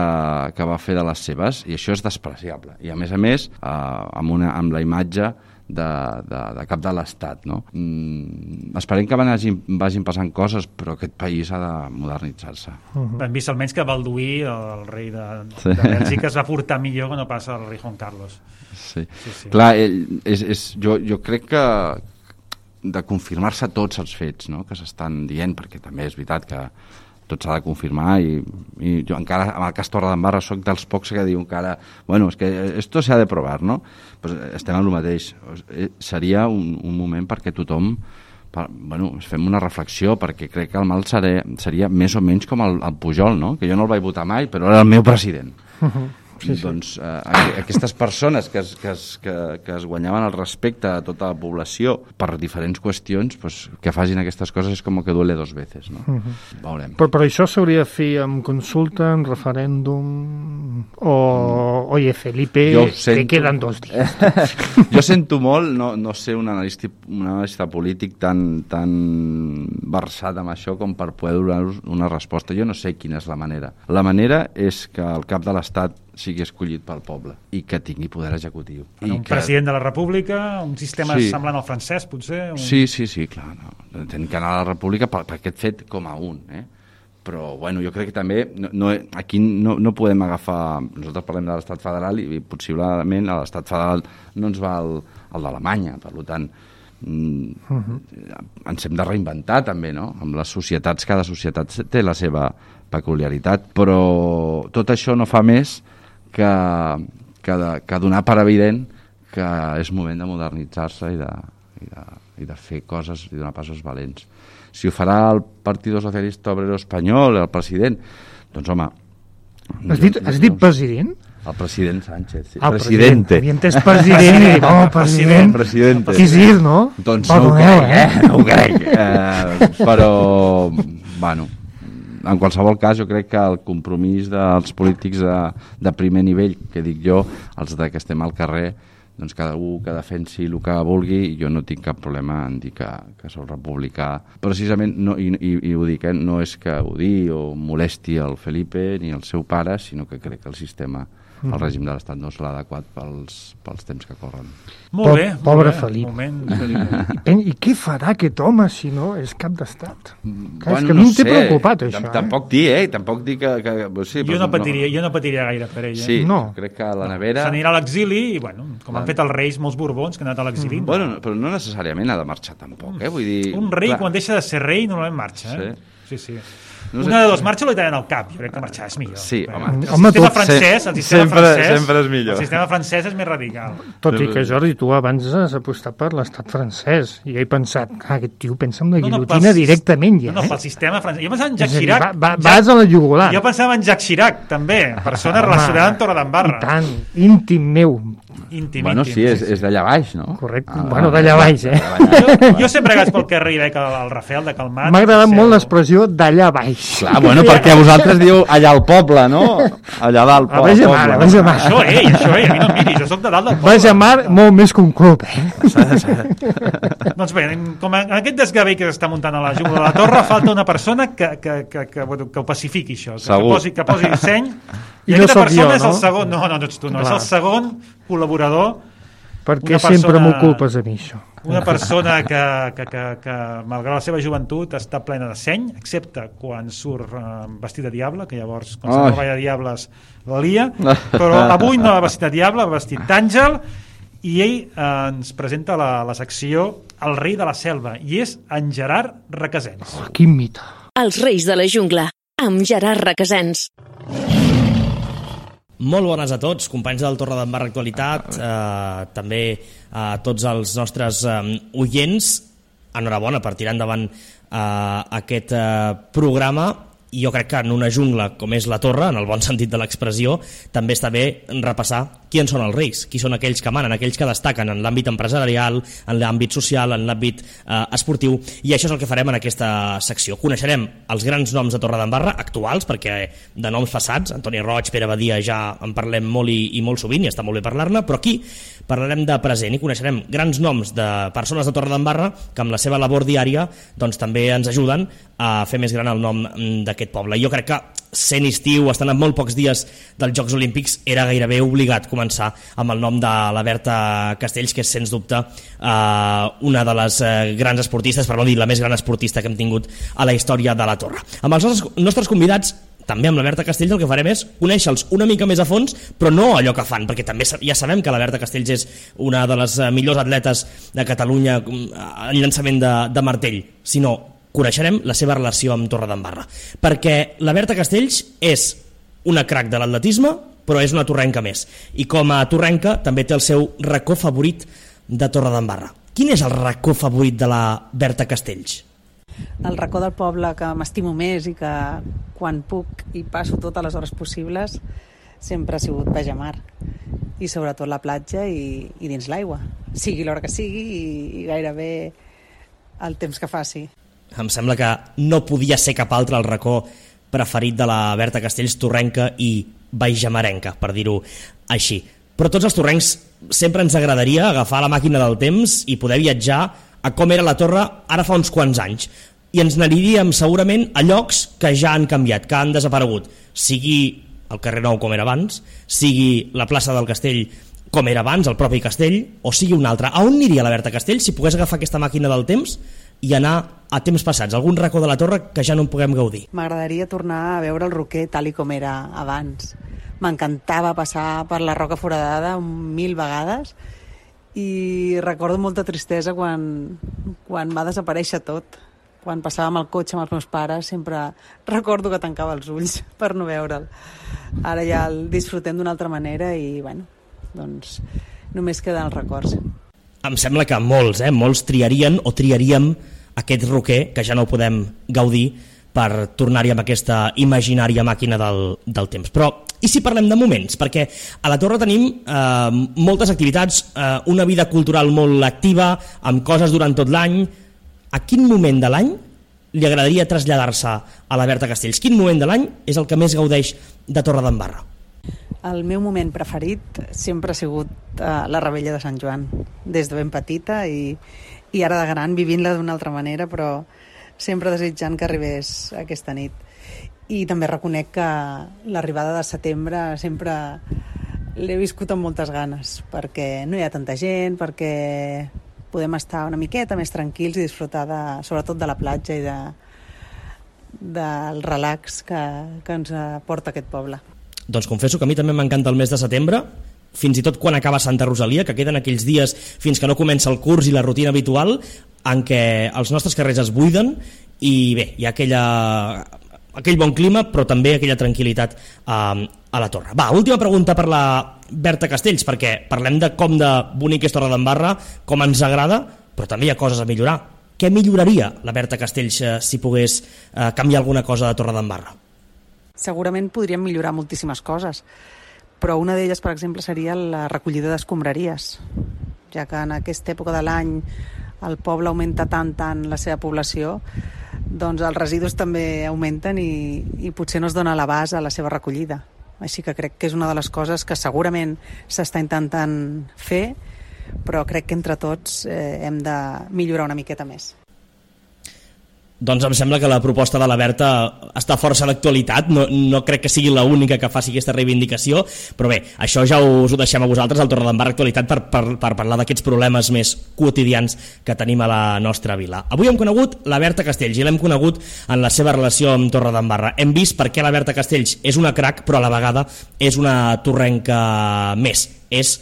que va fer de les seves, i això és despreciable. I a més a més, eh, amb, una, amb la imatge de, de, de cap de l'Estat, no? Mm, esperem que vagin, vagin passant coses, però aquest país ha de modernitzar-se. Uh-huh. Hem vist almenys que Balduí, el rei de, sí. de Bèlgica, es va portar millor que no passa el rei Juan Carlos. Sí, sí, sí. Clar, ell, és, és, jo, jo crec que de confirmar-se tots els fets, no?, que s'estan dient, perquè també és veritat que tot s'ha de confirmar, i, i jo encara amb el cas Torredembarra soc dels pocs que diu encara, bueno, és que esto se ha de provar, no? Pues estem en el mateix. Seria un, un moment perquè tothom, per, bueno, fem una reflexió, perquè crec que el mal seria, seria més o menys com el, el Pujol, no?, que jo no el vaig votar mai, però era el meu president. Uh-huh. Sí, sí. Doncs eh, aquestes persones que es, que, es, que, que es guanyaven el respecte a tota la població per diferents qüestions, pues, que facin aquestes coses és com que duele dos veces, no? Uh-huh. Veurem. Però, però això s'hauria de fer amb consulta, en referèndum, o, mm. oye, Felipe, sento... que queden dos dies. Jo sento molt no, no ser un analista, un analista polític tan, tan versat amb això com per poder donar una resposta. Jo no sé quina és la manera. La manera és que el cap de l'Estat sigui escollit pel poble i que tingui poder executiu. Bueno, I un que... president de la República, un sistema sí. semblant al francès, potser? Un... Sí, sí, sí, clar. No. Tenim que anar a la República per, per aquest fet com a un, eh? Però, bueno, jo crec que també no, no, aquí no, no podem agafar... Nosaltres parlem de l'estat federal i possiblement a l'estat federal no ens va el, el d'Alemanya, per tant... Mm, uh-huh. ens hem de reinventar també, no? Amb les societats, cada societat té la seva peculiaritat, però tot això no fa més que, que, de, que donar per evident que és moment de modernitzar-se i de, i, de, i de fer coses i donar passos valents. Si ho farà el Partido Socialista Obrero Espanyol, el president, doncs home... Has dit, has dit president? El president Sánchez, sí. Ah, Presidente. Havia entès president i dic, oh, president. Presidente. Qui és, no? Doncs no ho crec, eh? No ho crec. Eh, però, bueno, en qualsevol cas, jo crec que el compromís dels polítics de, de primer nivell, que dic jo, els de que estem al carrer, doncs cada un que defensi el que vulgui, jo no tinc cap problema en dir que, que soc republicà. Precisament, no, i, i, i ho dic, eh, no és que ho digui o molesti el Felipe ni el seu pare, sinó que crec que el sistema, el règim de l'Estat no és l'adequat pels, pels temps que corren. Molt bé. Pobre molt bé. Felip. Moment, Felip. I, I què farà aquest home si no és cap d'estat? Bueno, és que a mi no em té sé. preocupat, això. T Tampoc dir, eh? Tampoc dir que... que sí, jo, no patiria, no. jo no patiria gaire per ell. Eh? Sí, no. Crec que a la nevera... S'anirà a l'exili i, bueno, com han fet els reis, molts borbons que han anat a l'exili. Mm. Bueno, però no necessàriament ha de marxar tampoc, eh? Vull dir... Un rei, clar. quan deixa de ser rei, normalment marxa, eh? Sí. Sí, sí. No sé. Una de dos marxa o li tallen el cap. Jo crec que marxar és millor. Sí, Bé, home. El Home, sistema tot- francès, el sistema sempre, francès, sempre és millor. el sistema francès és més radical. Tot i que, Jordi, tu abans has apostat per l'estat francès i he pensat, ah, aquest tio pensa en la guillotina pel- directament ja, No, no, eh? pel sistema francès. Jo pensava en És Jacques a dir, Chirac. va, va, Jacques- vas a la jugular. Jo pensava en Jacques Chirac, també, persona Home, relacionada amb Torredembarra. I tant, íntim meu. Íntim, Bueno, íntim. sí, és, és d'allà baix, no? Correcte. Ah, Bueno, d'allà baix, eh? Jo, jo sempre que vaig pel carrer i veig el, el Rafael de Calmat... M'ha agradat seu- molt l'expressió d'allà baix. Clar, bueno, perquè vosaltres diu allà al poble, no? Allà dalt A al Baix de poble. Mar, a Baix de Mar. Això, ell, això, ell, a mi no em miris, jo soc de dalt del poble. Baix de Mar, molt més que un club, eh? Doncs bé, com en aquest desgavell que s'està muntant a la jungla de la Torre, falta una persona que, que, que, que, bueno, que ho pacifiqui, això, que, que Segur. posi, que posi seny. I, I no aquesta sóc persona jo, és el no? segon... No, no, no ets tu, no, és Clar. el segon col·laborador, Perquè Una sempre persona- m'ho culpes a mi, això. una persona que, que, que, que, malgrat la seva joventut, està plena de seny, excepte quan surt eh, vestit de diable, que llavors, quan Ai. se'n va de diables, la lia, però avui no va vestit de diable, va vestit d'àngel, i ell eh, ens presenta la, la secció El rei de la selva, i és en Gerard Requesens. Oh, quin mite. Els Reis de la Jungla, amb Gerard Requesens. Molt bones a tots, companys del Torredembarra Actualitat, eh, també a tots els nostres eh, oients. Enhorabona per tirar endavant eh, aquest eh, programa. I jo crec que en una jungla com és la Torre, en el bon sentit de l'expressió, també està bé repassar qui en són els reis, qui són aquells que manen, aquells que destaquen en l'àmbit empresarial, en l'àmbit social, en l'àmbit eh, esportiu, i això és el que farem en aquesta secció. Coneixerem els grans noms de Torredembarra, actuals, perquè de noms passats, Antoni Roig, Pere Badia, ja en parlem molt i, i molt sovint, i està molt bé parlar-ne, però aquí parlarem de present i coneixerem grans noms de persones de Torredembarra que amb la seva labor diària doncs, també ens ajuden a fer més gran el nom d'aquest poble. I jo crec que sent estiu, estan a molt pocs dies dels Jocs Olímpics, era gairebé obligat començar amb el nom de la Berta Castells, que és sens dubte eh, una de les eh, grans esportistes, per no dir la més gran esportista que hem tingut a la història de la Torre. Amb els nostres, nostres convidats, també amb la Berta Castells, el que farem és conèixer-los una mica més a fons, però no allò que fan, perquè també ja sabem que la Berta Castells és una de les millors atletes de Catalunya en llançament de, de martell, sinó coneixerem la seva relació amb Torredembarra, perquè la Berta Castells és una crac de l'atletisme, però és una torrenca més, i com a torrenca també té el seu racó favorit de Torredembarra. Quin és el racó favorit de la Berta Castells? El racó del poble que m'estimo més i que quan puc i passo totes les hores possibles sempre ha sigut Baix de Mar, i sobretot la platja i, i dins l'aigua, sigui l'hora que sigui i, i gairebé el temps que faci. Em sembla que no podia ser cap altre el racó preferit de la Berta Castells, torrenca i baixamarenca, per dir-ho així. Però tots els torrencs sempre ens agradaria agafar la màquina del temps i poder viatjar a com era la Torre ara fa uns quants anys. I ens n'aniríem segurament a llocs que ja han canviat, que han desaparegut. Sigui el carrer Nou com era abans, sigui la plaça del Castell com era abans, el propi castell, o sigui un altre. A on aniria la Berta Castells si pogués agafar aquesta màquina del temps i anar a temps passats, algun racó de la Torre que ja no en puguem gaudir? M'agradaria tornar a veure el Roquer tal i com era abans. M'encantava passar per la Roca Foradada mil vegades i recordo molta tristesa quan, quan va desaparèixer tot. Quan passàvem el cotxe amb els meus pares sempre recordo que tancava els ulls per no veure'l. Ara ja el disfrutem d'una altra manera i bueno, doncs només queden els records. Em sembla que molts, eh, molts triarien o triaríem aquest roquer que ja no podem gaudir per tornar-hi amb aquesta imaginària màquina del, del temps. Però i si parlem de moments? Perquè a la Torre tenim eh, moltes activitats, eh, una vida cultural molt activa, amb coses durant tot l'any. A quin moment de l'any li agradaria traslladar-se a la Berta Castells? Quin moment de l'any és el que més gaudeix de Torredembarra? El meu moment preferit sempre ha sigut uh, la Rebella de Sant Joan, des de ben petita i, i ara de gran vivint-la d'una altra manera, però sempre desitjant que arribés aquesta nit. I també reconec que l'arribada de setembre sempre l'he viscut amb moltes ganes, perquè no hi ha tanta gent, perquè podem estar una miqueta més tranquils i disfrutar de, sobretot de la platja i de, del relax que, que ens aporta aquest poble. Doncs confesso que a mi també m'encanta el mes de setembre, fins i tot quan acaba Santa Rosalia, que queden aquells dies fins que no comença el curs i la rutina habitual, en què els nostres carrers es buiden i bé, hi ha aquella, aquell bon clima, però també aquella tranquil·litat eh, a la torre. Va, última pregunta per la Berta Castells, perquè parlem de com de bonic és Torredembarra, com ens agrada, però també hi ha coses a millorar. Què milloraria la Berta Castells eh, si pogués eh, canviar alguna cosa de Torredembarra? Segurament podríem millorar moltíssimes coses, però una d'elles, per exemple, seria la recollida d'escombraries, ja que en aquesta època de l'any el poble augmenta tant, tant la seva població, doncs els residus també augmenten i, i potser no es dona l'abast a la seva recollida. Així que crec que és una de les coses que segurament s'està intentant fer, però crec que entre tots eh, hem de millorar una miqueta més. Doncs em sembla que la proposta de la Berta està força a l'actualitat, no, no crec que sigui l'única que faci aquesta reivindicació, però bé, això ja us ho deixem a vosaltres al Torredembarra Actualitat per, per, per parlar d'aquests problemes més quotidians que tenim a la nostra vila. Avui hem conegut la Berta Castells i l'hem conegut en la seva relació amb Torredembarra. Hem vist per què la Berta Castells és una crac, però a la vegada és una torrenca més, és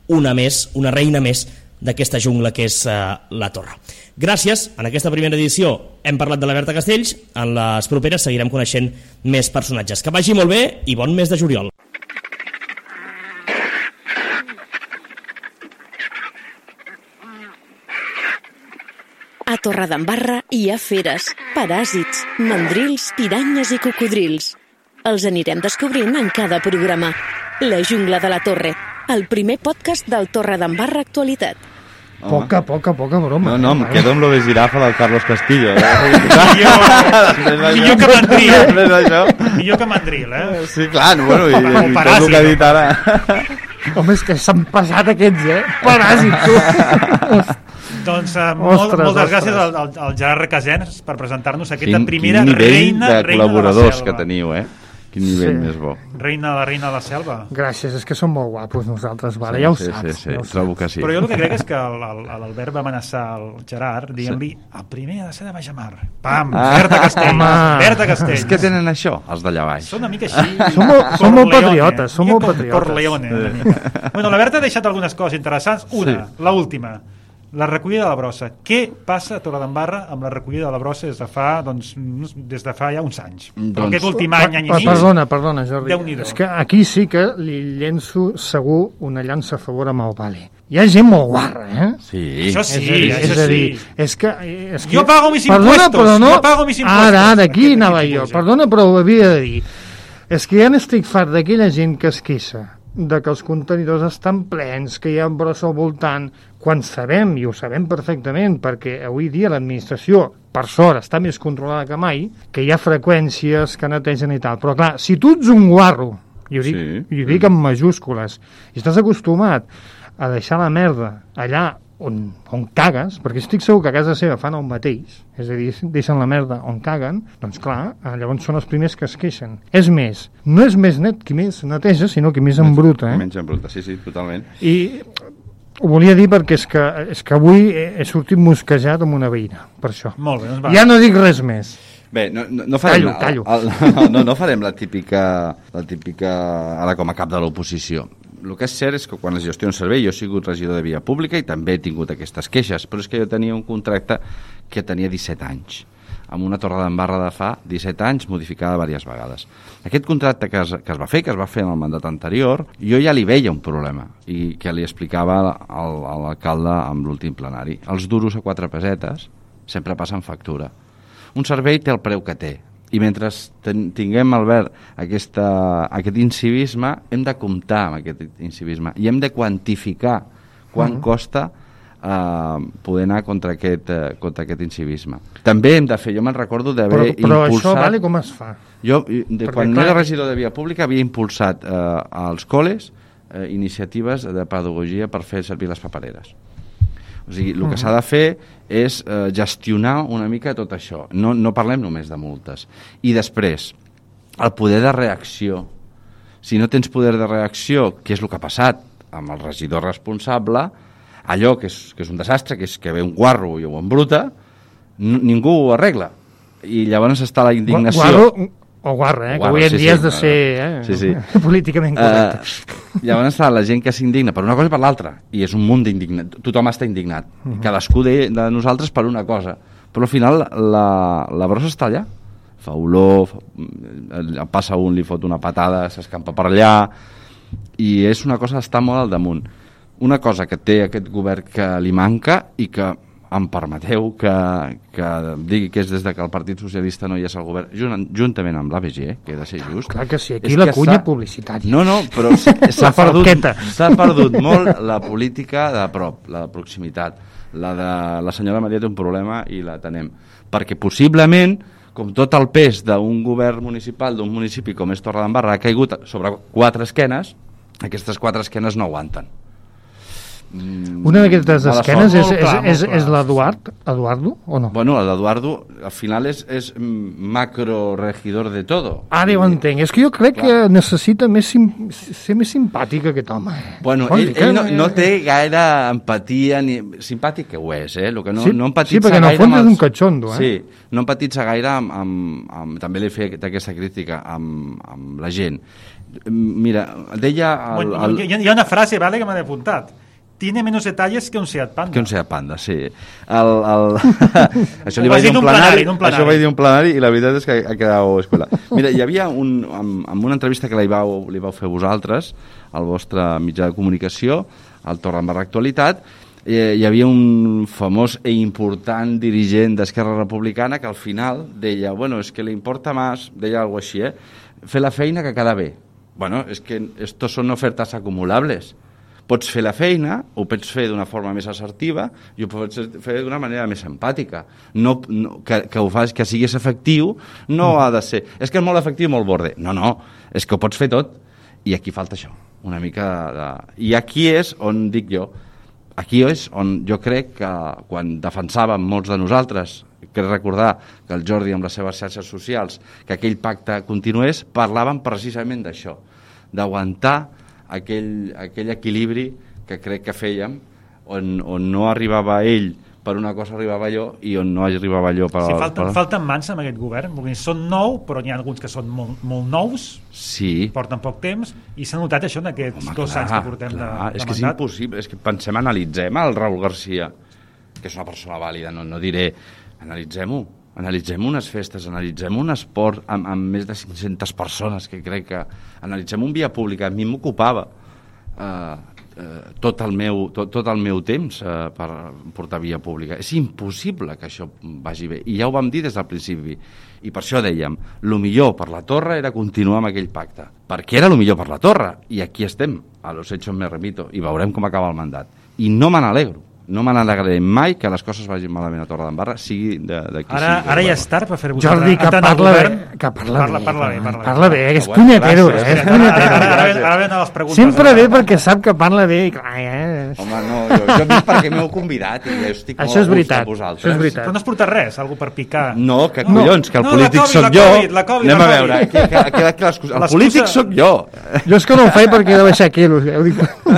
una més, una reina més d'aquesta jungla que és eh, la Torre. Gràcies, en aquesta primera edició hem parlat de la Berta Castells, en les properes seguirem coneixent més personatges. Que vagi molt bé i bon mes de juliol. A Torredembarra hi ha feres, paràsits, mandrils, piranyes i cocodrils. Els anirem descobrint en cada programa. La jungla de la Torre, el primer podcast del Torredembarra Actualitat. Poca, poca, poca broma. No, no, em quedo amb lo de girafa del Carlos Castillo. millor, millor que mandril. Millor que mandril, eh? Sí, clar, no, bueno, i, i tot el que ha dit ara. Home, és que s'han passat aquests, eh? Paràsit, tu. Doncs uh, molt, ostres, moltes ostres. gràcies al, al, al Gerard Requesens per presentar-nos aquesta quin, primera quin nivell reina, de reina col·laboradors de la que teniu, eh? Quin nivell sí. més bo. Reina, la reina de la selva. Gràcies, és que som molt guapos nosaltres, vale? Sí, Ja ho sí, saps. sí, sí. Ja ho Trobo que sí. Però jo el que crec és que l'Albert va amenaçar el Gerard dient-li sí. el primer ha de ser de Baixamar. Pam, ah, Berta Castells, Berta Castells. És que tenen això, els d'allà baix. Són una mica així. Som molt, som molt patriotes, som molt patriotes. Corleone, una mica. Bueno, la Berta ha deixat algunes coses interessants. Una, sí. la última. La recollida de la brossa. Què passa a Torredembarra amb la recollida de la brossa des de fa, doncs, des de fa ja uns anys? Doncs, però aquest últim any, any i mig... Perdona, perdona, Jordi. Déu-n'hi-do. És que aquí sí que li llenço segur una llança a favor amb el Vale. Hi ha gent molt guarra, eh? Sí. Això sí, és a dir, això és a dir, sí. És que, és que... Jo pago mis perdona, impuestos. Però no... Jo pago mis impuestos. Ara, ara, aquí anava jo. Perdona, però ho havia de dir. És que ja n'estic fart d'aquella gent que es queixa de que els contenidors estan plens, que hi ha brossa al voltant, quan sabem, i ho sabem perfectament, perquè avui dia l'administració, per sort, està més controlada que mai, que hi ha freqüències que netegen i tal. Però clar, si tu ets un guarro, i ho dic, sí. i ho dic amb majúscules, i estàs acostumat a deixar la merda allà on, on cagues, perquè estic segur que a casa seva fan el mateix, és a dir, deixen la merda on caguen, doncs clar, llavors són els primers que es queixen. És més, no és més net qui més neteja, sinó qui més embruta. Eh? Menys embruta, sí, sí, totalment. I ho volia dir perquè és que, és que avui he sortit mosquejat amb una veïna, per això. Molt bé, doncs va. Ja no dic res més. Bé, no, no, no farem... Tallo, tallo. El, el, no, no farem la típica, la típica, ara com a cap de l'oposició. El que és cert és que quan es gestiona un servei, jo he sigut regidor de via pública i també he tingut aquestes queixes, però és que jo tenia un contracte que tenia disset anys, amb una Torredembarra de fa disset anys modificada diverses vegades. Aquest contracte que es, que es va fer, que es va fer en el mandat anterior, jo ja li veia un problema i que li explicava al, a l'alcalde amb l'últim plenari. Els duros a quatre pesetes sempre passen factura. Un servei té el preu que té, i mentre ten, tinguem, Albert, aquesta, aquest incivisme, hem de comptar amb aquest incivisme i hem de quantificar quan uh -huh. costa eh, poder anar contra aquest, eh, contra aquest incivisme. També hem de fer, jo me'n recordo d'haver impulsat... Però això, vale, com es fa? Jo, de, quan clar... era regidor de via pública, havia impulsat eh, als col·les eh, iniciatives de pedagogia per fer servir les papereres. O sigui, el que s'ha de fer és eh, gestionar una mica tot això. No, no parlem només de multes. I després, el poder de reacció. Si no tens poder de reacció, què és el que ha passat amb el regidor responsable, allò que és, que és un desastre, que és que ve un guarro i ho embruta, ningú ho arregla. I llavors està la indignació. Guarro o guarra, eh? Guarra, que avui en sí, dia sí, has de ser eh? sí, sí. políticament correcte. Uh, llavors està la gent que s'indigna per una cosa i per l'altra, i és un munt d'indignat. Tothom està indignat. Uh -huh. Cadascú de, de nosaltres per una cosa. Però al final la, la brossa està allà. fa olor, fa, passa un, li fot una patada, s'escampa per allà, i és una cosa d'estar molt al damunt. Una cosa que té aquest govern que li manca i que em permeteu que, que digui que és des de que el Partit Socialista no hi és al govern, junt, juntament amb l'A B G, que he de ser just. Clar que sí, aquí la cunya publicitària. No, no, però s'ha perdut, s'ha perdut molt la política de prop, la de proximitat. La de la senyora Maria té un problema i la tenem. Perquè possiblement, com tot el pes d'un govern municipal, d'un municipi com és Torredembarra, ha caigut sobre quatre esquenes, aquestes quatre esquenes no aguanten. Una d'aquestes esquenes és, és, és, és l'Eduard, Eduardo, o no? Bueno, l'Eduardo al final és, és macro regidor de todo. Ara ho entenc, és que jo crec Clar. que necessita més sim, ser més simpàtic aquest home. Bueno, ell, ell no, no té gaire empatia, ni simpàtic que ho és, eh? Lo que no, sí, no empatitza sí, perquè en el fons és un catxondo, eh? Sí, no empatitza gaire amb, amb, amb també li feia aquesta crítica amb, amb la gent. Mira, deia... El, bueno, el... Hi, ha, hi ha una frase, vale, que m'ha apuntat. Tiene menos detalles que un Seat Panda. Que un Seat Panda, sí. El, el... això li vaig dir un plenari, plenari, això vaig dir un plenari i la veritat és que ha quedat escola. Mira, hi havia un, amb, amb una entrevista que li vau, li vau fer vosaltres, al vostre mitjà de comunicació, al Torredembarra Actualitat, eh, hi havia un famós i important dirigent d'Esquerra Republicana que al final deia, bueno, és que li importa més, deia alguna cosa així, eh? fer la feina que queda bé. Bueno, és que estos són ofertes acumulables. Pots fer la feina, ho pots fer d'una forma més assertiva i ho pots fer d'una manera més empàtica. No, no, que, que ho fas, que siguis efectiu, no mm. ha de ser... És que és molt efectiu i molt borde. No, no, és que ho pots fer tot. I aquí falta això, una mica de... I aquí és on dic jo, aquí és on jo crec que quan defensàvem molts de nosaltres, crec recordar que el Jordi amb les seves xarxes socials, que aquell pacte continués, parlaven precisament d'això, d'aguantar Aquell, aquell equilibri que crec que fèiem, on, on no arribava ell per una cosa arribava jo i on no arribava jo per... Sí, falten, per... falten mans amb aquest govern, perquè són nou, però n'hi ha alguns que són molt, molt nous, sí. porten poc temps, i s'ha notat això en aquests Home, dos clar, anys que portem clar. de, de és que mandat. És impossible, és que pensem, analitzem el Raül Garcia, que és una persona vàlida, no, no diré, analitzem-ho, analitzem unes festes, analitzem un esport amb, amb més de cinc-centes persones, que crec que analitzem un via pública. A mi m'ocupava eh, eh, tot, el meu, tot, tot el meu temps eh, per portar via pública. És impossible que això vagi bé. I ja ho vam dir des del principi. I per això dèiem, el millor per la Torre era continuar amb aquell pacte. Perquè era el millor per la Torre. I aquí estem, a los hechos me remito, i veurem com acaba el mandat. I no me n'alegro. No me n'alegraré mai que les coses vagin malament a Torredembarra, sigui d'aquí... Ara, sigui ara ja és tard per fer-vos... Jordi, que parla bé, que parla bé. Parla bé, parla bé. Parla bé, és punyetero, eh? És punyetero. Ara venen les preguntes. Sempre bé perquè sap que parla bé i clar, eh? Home, no, jo, jo vinc perquè m'heu convidat i jo estic molt a gust amb vosaltres. Això és veritat. Però no has portat res, algú per picar. No, que collons, que el polític sóc jo. Anem a veure, el polític sóc jo. Jo és que no ho faig perquè he de baixar quilos.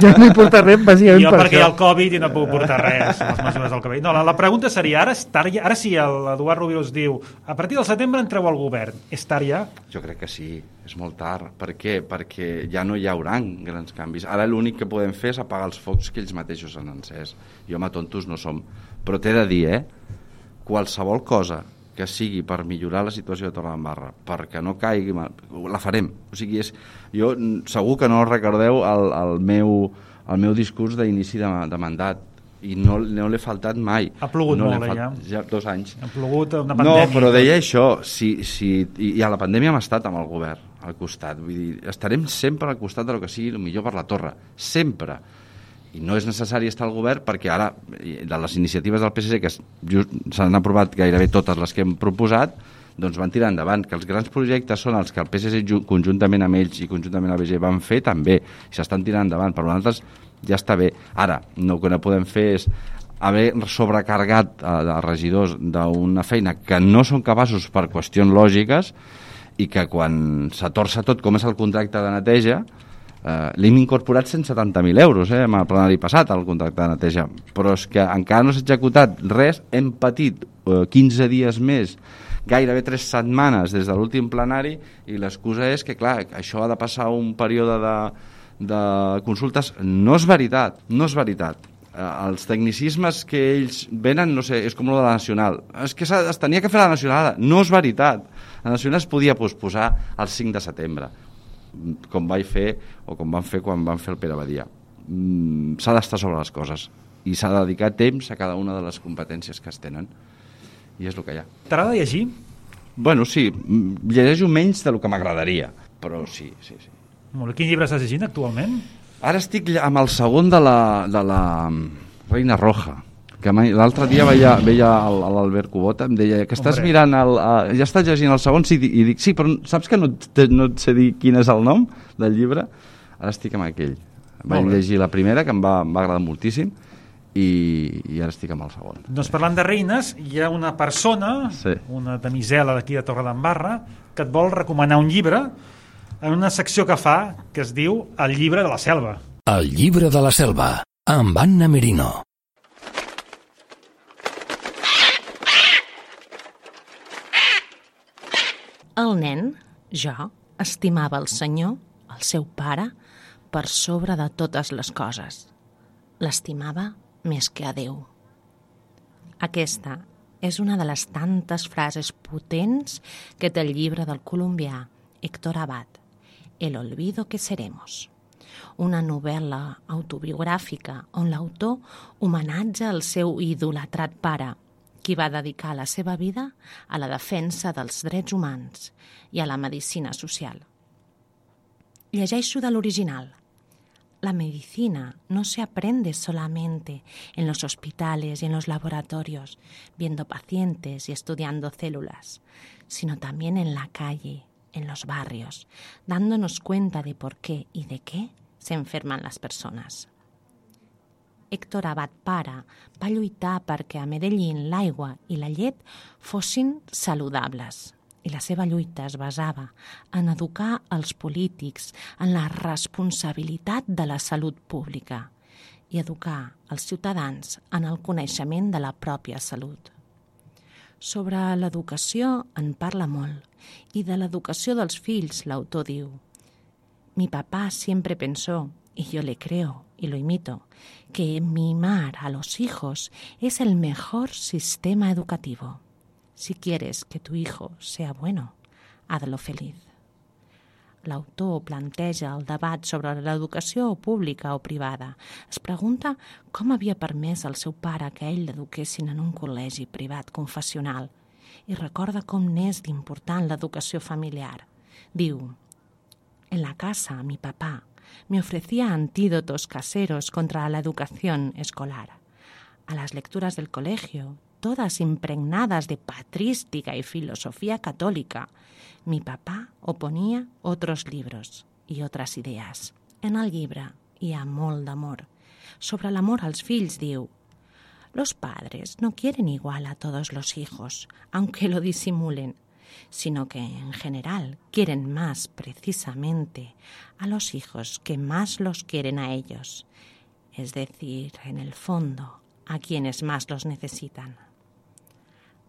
Jo no he portat res, bàsicament per això. Jo perquè hi ha el Covid i no puc portar res, les mesures del cabell. No, la, la pregunta seria, ara, tard, ara sí, l'Eduard Rubio diu, a partir del setembre entreu al govern. És tard ja? Jo crec que sí, és molt tard. Per què? Perquè ja no hi haurà grans canvis. Ara l'únic que podem fer és apagar els focs que ells mateixos han encès. Jo home, tontos no som. Però t'he de dir, eh? Qualsevol cosa que sigui per millorar la situació de Torredembarra, perquè no caigui, la farem. O sigui, és, jo segur que no recordeu el, el, meu, el meu discurs d'inici de, de mandat, i no, no l'he faltat mai. Ha plogut no molt, falt... ja. ja. Dos anys. Ha plogut una pandèmia. No, però deia això, si, si... i a la pandèmia hem estat amb el govern al costat, vull dir, estarem sempre al costat de lo que sigui el millor per la Torre, sempre. I no és necessari estar al govern perquè ara, de les iniciatives del P S C, que s'han aprovat gairebé totes les que hem proposat, doncs van tirar endavant, que els grans projectes són els que el P S C conjuntament amb ells i conjuntament amb l'A B G van fer també, i s'estan tirant endavant, per nosaltres ja està bé. Ara, no, el que no podem fer és haver sobrecarregat a regidors d'una feina que no són capaços per qüestions lògiques i que quan s'atorça tot, com és el contracte de neteja, eh, l'hem incorporat cent setanta mil euros, eh, amb el plenari passat, el contracte de neteja, però és que encara no s'ha executat res, hem patit eh, quinze dies més, gairebé tres setmanes des de l'últim plenari, i l'excusa és que, clar, això ha de passar un període de, de consultes. No és veritat, no és veritat. els tecnicismes que ells venen, no sé, és com lo de la Nacional. És que es tenia que fer la Nacional, no és veritat. La Nacional es podia posposar el cinc de setembre, com vaig fer o com van fer quan van fer el Pere Badia. Mm, s'ha d'estar sobre les coses i s'ha de dedicar temps a cada una de les competències que es tenen, i és el que hi ha. T'agrada llegir? Bueno, sí, llegeixo menys del que m'agradaria, però sí, sí, sí. Molt bé. Quin llibre estàs llegint actualment? Ara estic amb el segon de la, de la Reina Roja, que l'altre dia veia, veia l'Albert Cubota, em deia que estàs Hombre. mirant, el, uh, ja estàs llegint el segon, sí, i dic, sí, però saps que no, te, no et sé dir quin és el nom del llibre? Ara estic amb aquell. Vaig llegir la primera, que em va, em va agradar moltíssim, i, i ara estic amb el segon. Doncs parlant de reines, hi ha una persona, sí. una damisela d'aquí de Torredembarra, que et vol recomanar un llibre en una secció que fa, que es diu El llibre de la selva. El llibre de la selva, amb Anna Merino. El nen, jo, estimava el senyor, el seu pare, per sobre de totes les coses. L'estimava més que a Déu. Aquesta és una de les tantes frases potents que té el llibre del colombià Héctor Abad, El olvido que seremos, una novel·la autobiogràfica on l'autor homenatja el seu idolatrat pare, qui va dedicar la seva vida a la defensa dels drets humans i a la medicina social. Llegeixo de l'original. La medicina no se aprende solamente en los hospitales y en los laboratorios, viendo pacientes y estudiando células, sino también en la calle, en los barrios, dándonos cuenta de por qué y de qué se enferman las personas. Héctor Abad pare va lluitar perquè a Medellín l'aigua i la llet fossin saludables. I la seva lluita es basava en educar els polítics en la responsabilitat de la salut pública i educar els ciutadans en el coneixement de la pròpia salut. Sobre l'educació en parla molt i de l'educació dels fills l'autor diu: Mi papá siempre pensó, y yo le creo y lo imito, que mimar a los hijos es el mejor sistema educativo. Si quieres que tu hijo sea bueno, hazlo feliz. L'autor planteja el debat sobre l'educació pública o privada. Es pregunta com havia permès al seu pare que ell l'eduquessin en un col·legi privat confessional i recorda com n'és d'important l'educació familiar. Diu: En la casa, mi papá me ofrecía antídotos caseros contra la educación escolar. A las lecturas del colegio, todas impregnadas de patrística y filosofía católica, mi papá oponía otros libros y otras ideas. En el llibre hi ha molt d'amor. Sobre l'amor als fills diu: Los padres no quieren igual a todos los hijos, aunque lo disimulen, sino que en general quieren más precisamente a los hijos que más los quieren a ellos, es decir, en el fondo, a quienes más los necesitan.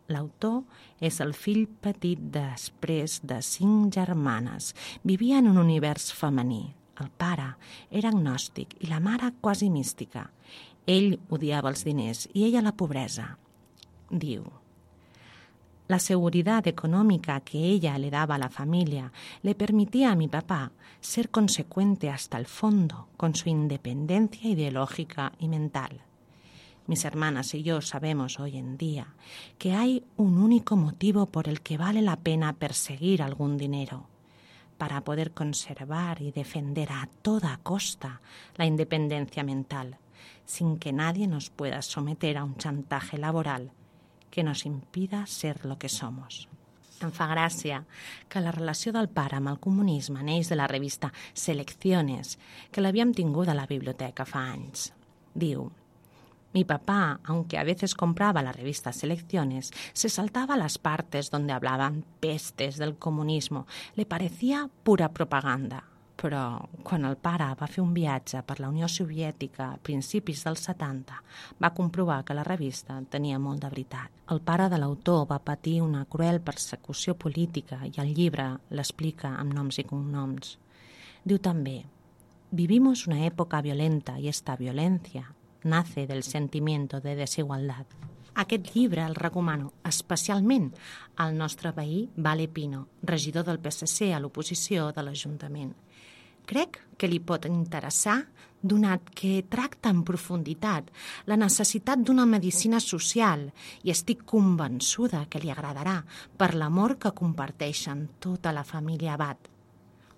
L'autor és el fill petit després de cinc germanes. Vivia en un univers femení. El pare era agnòstic i la mare quasi mística. Ell odiava els diners i ella la pobresa. Diu: La seguridad económica que ella le daba a la familia le permitía a mi papá ser consecuente hasta el fondo con su independencia ideológica y mental. Mis hermanas y yo sabemos hoy en día que hay un único motivo por el que vale la pena perseguir algún dinero, para poder conservar y defender a toda costa la independencia mental, sin que nadie nos pueda someter a un chantaje laboral que nos impida ser lo que somos. Em fa gràcia que la relació del pare amb el comunisme neix de la revista Selecciones, que l'havíem tingut a la biblioteca fa anys. Diu: Mi papá, aunque a veces compraba la revista Selecciones, se saltaba las partes donde hablaban pestes del comunismo. Le parecía pura propaganda. Però quan el pare va fer un viatge per la Unió Soviètica a principis dels setanta, va comprovar que la revista tenia molt de veritat. El pare de l'autor va patir una cruel persecució política i el llibre l'explica amb noms i cognoms. Diu també: Vivimos una época violenta y esta violencia, nace del sentimiento de desigualdad. Aquest llibre el recomano especialment al nostre veí Vale Pino, regidor del P S C a l'oposició de l'Ajuntament. Crec que li pot interessar, donat que tracta en profunditat la necessitat d'una medicina social i estic convençuda que li agradarà per l'amor que comparteixen tota la família Abad.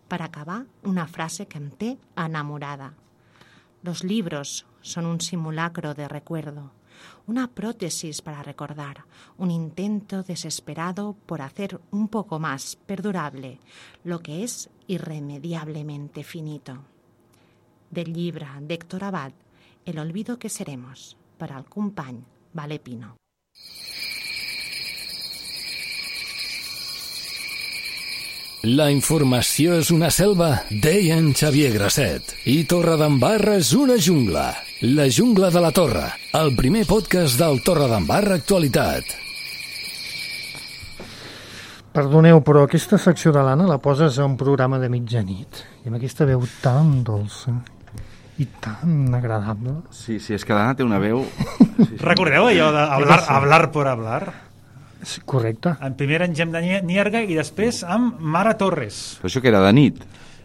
Per acabar, una frase que em té enamorada. Los libros son un simulacro de recuerdo, una prótesis para recordar, un intento desesperado por hacer un poco más perdurable lo que es irremediablemente finito. Del llibre d'Héctor Abad, El olvido que seremos, per al company Vale Pino. La informació és una selva, deia en Xavier Grasset. I Torredembarra és una jungla. La jungla de la Torre, el primer podcast del Torredembarra Actualitat. Perdoneu, però aquesta secció de l'Anna la poses a un programa de mitjanit. I amb aquesta veu tan dolça i tan agradable. Sí, sí, és que l'Anna té una veu... Sí, sí. Recordeu allò de hablar, hablar por hablar? Sí, correcte. En primer en Gem de Nierga i després amb Mara Torres. Però això que era de nit?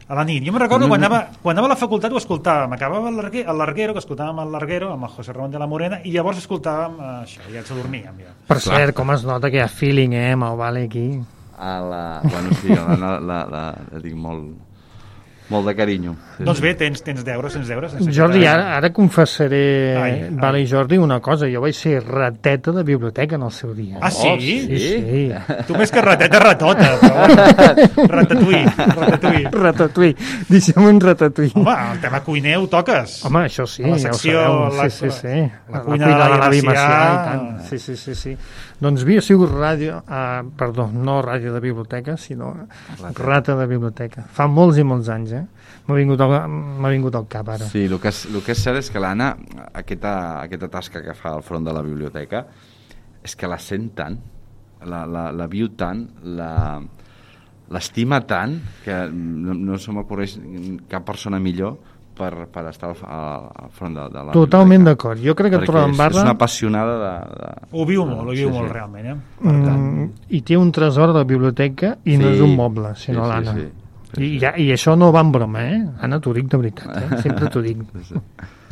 A la nit. Jo me recordo quan anava, quan anava a la facultat ho escoltàvem. Acabava el Larguero, el Larguero, que escoltàvem el Larguero amb el José Ramón de la Morena i llavors escoltàvem eh, això, i ens adormíem. Ja. Per Clar. cert, com es nota que hi ha feeling, eh, amb el Vale aquí. A la... Bueno, sí, la, la, la, la, la tinc molt... Molt de carinyo. Sí, doncs sí. bé, tens, tens deures, tens deures. Jordi, ara, ara confessaré, ai, Vale ai. i Jordi, una cosa. Jo vaig ser rateta de biblioteca en el seu dia. Ah, sí? Oh, sí, sí. Tu més que rateta, ratota. Però... ratatouille, ratatouille. Ratatouille. Deixem un ratatouille. Home, el tema cuiner ho toques. Home, això sí, la secció, ja ho sabeu. La, sí, sí, sí. La, la cuina, cuina de l'avi Macià. Macià i tant. Sí, sí, sí, sí. Doncs havia sigut ràdio, uh, perdó, no ràdio de biblioteca, sinó rata. rata de biblioteca. Fa molts i molts anys, eh? M'ha vingut, vingut al cap, ara. Sí, el que, és, el que és cert és que l'Anna, aquesta, aquesta tasca que fa al front de la biblioteca, és que la sent tant, la, la, la viu tant, la, l'estima tant, que no, no se m'ocorreix cap persona millor per, per estar al, al front de, de la Totalment d'acord. Jo crec que Torredembarra... és una apassionada de... de... Ho viu molt, ho viu sí, molt sí. realment, eh? Per tant... Mm, I té un tresor de biblioteca i sí, no és un moble, sinó sí, l'Anna. Sí, sí. I, ja, I això no va en broma, eh? Anna, t'ho dic de veritat, eh? Sempre t'ho dic.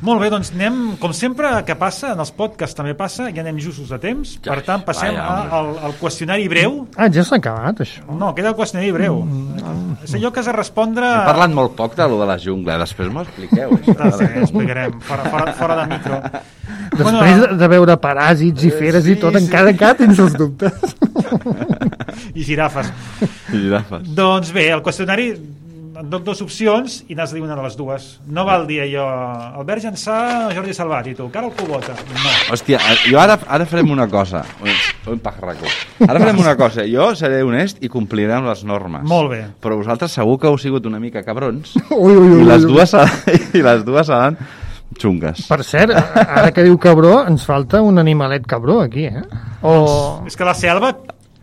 Molt bé, doncs anem, com sempre que passa, en els podcasts també passa, ja anem justos de temps, ja, per tant passem vaja, a, al, al qüestionari breu. Ah, ja s'ha acabat, això? No, queda el qüestionari breu. Mm, és allò que has de respondre... He parlat molt poc de lo de la jungla, després m'ho expliqueu. Això, ah, sí, explicarem, fora, fora, fora de micro. Després bueno, de veure paràsits i feres sí, i tot, sí. encara encara tens els dubtes. I girafes. I girafes. Doncs bé, el qüestionari et dono dues opcions i n'has de dir una de les dues. No val dir allò, Albert Jansà, Jordi Salvat, i tu, Carol Cubota. No. Hòstia, jo ara, ara farem una cosa. Un pajarraco. Ara farem una cosa. Jo seré honest i compliré amb les normes. Molt bé. Però vosaltres segur que heu sigut una mica cabrons. Ui, ui, ui, I les ui. dues, i les dues seran xungues. Per cert, ara que diu cabró, ens falta un animalet cabró aquí, eh? O... És que la selva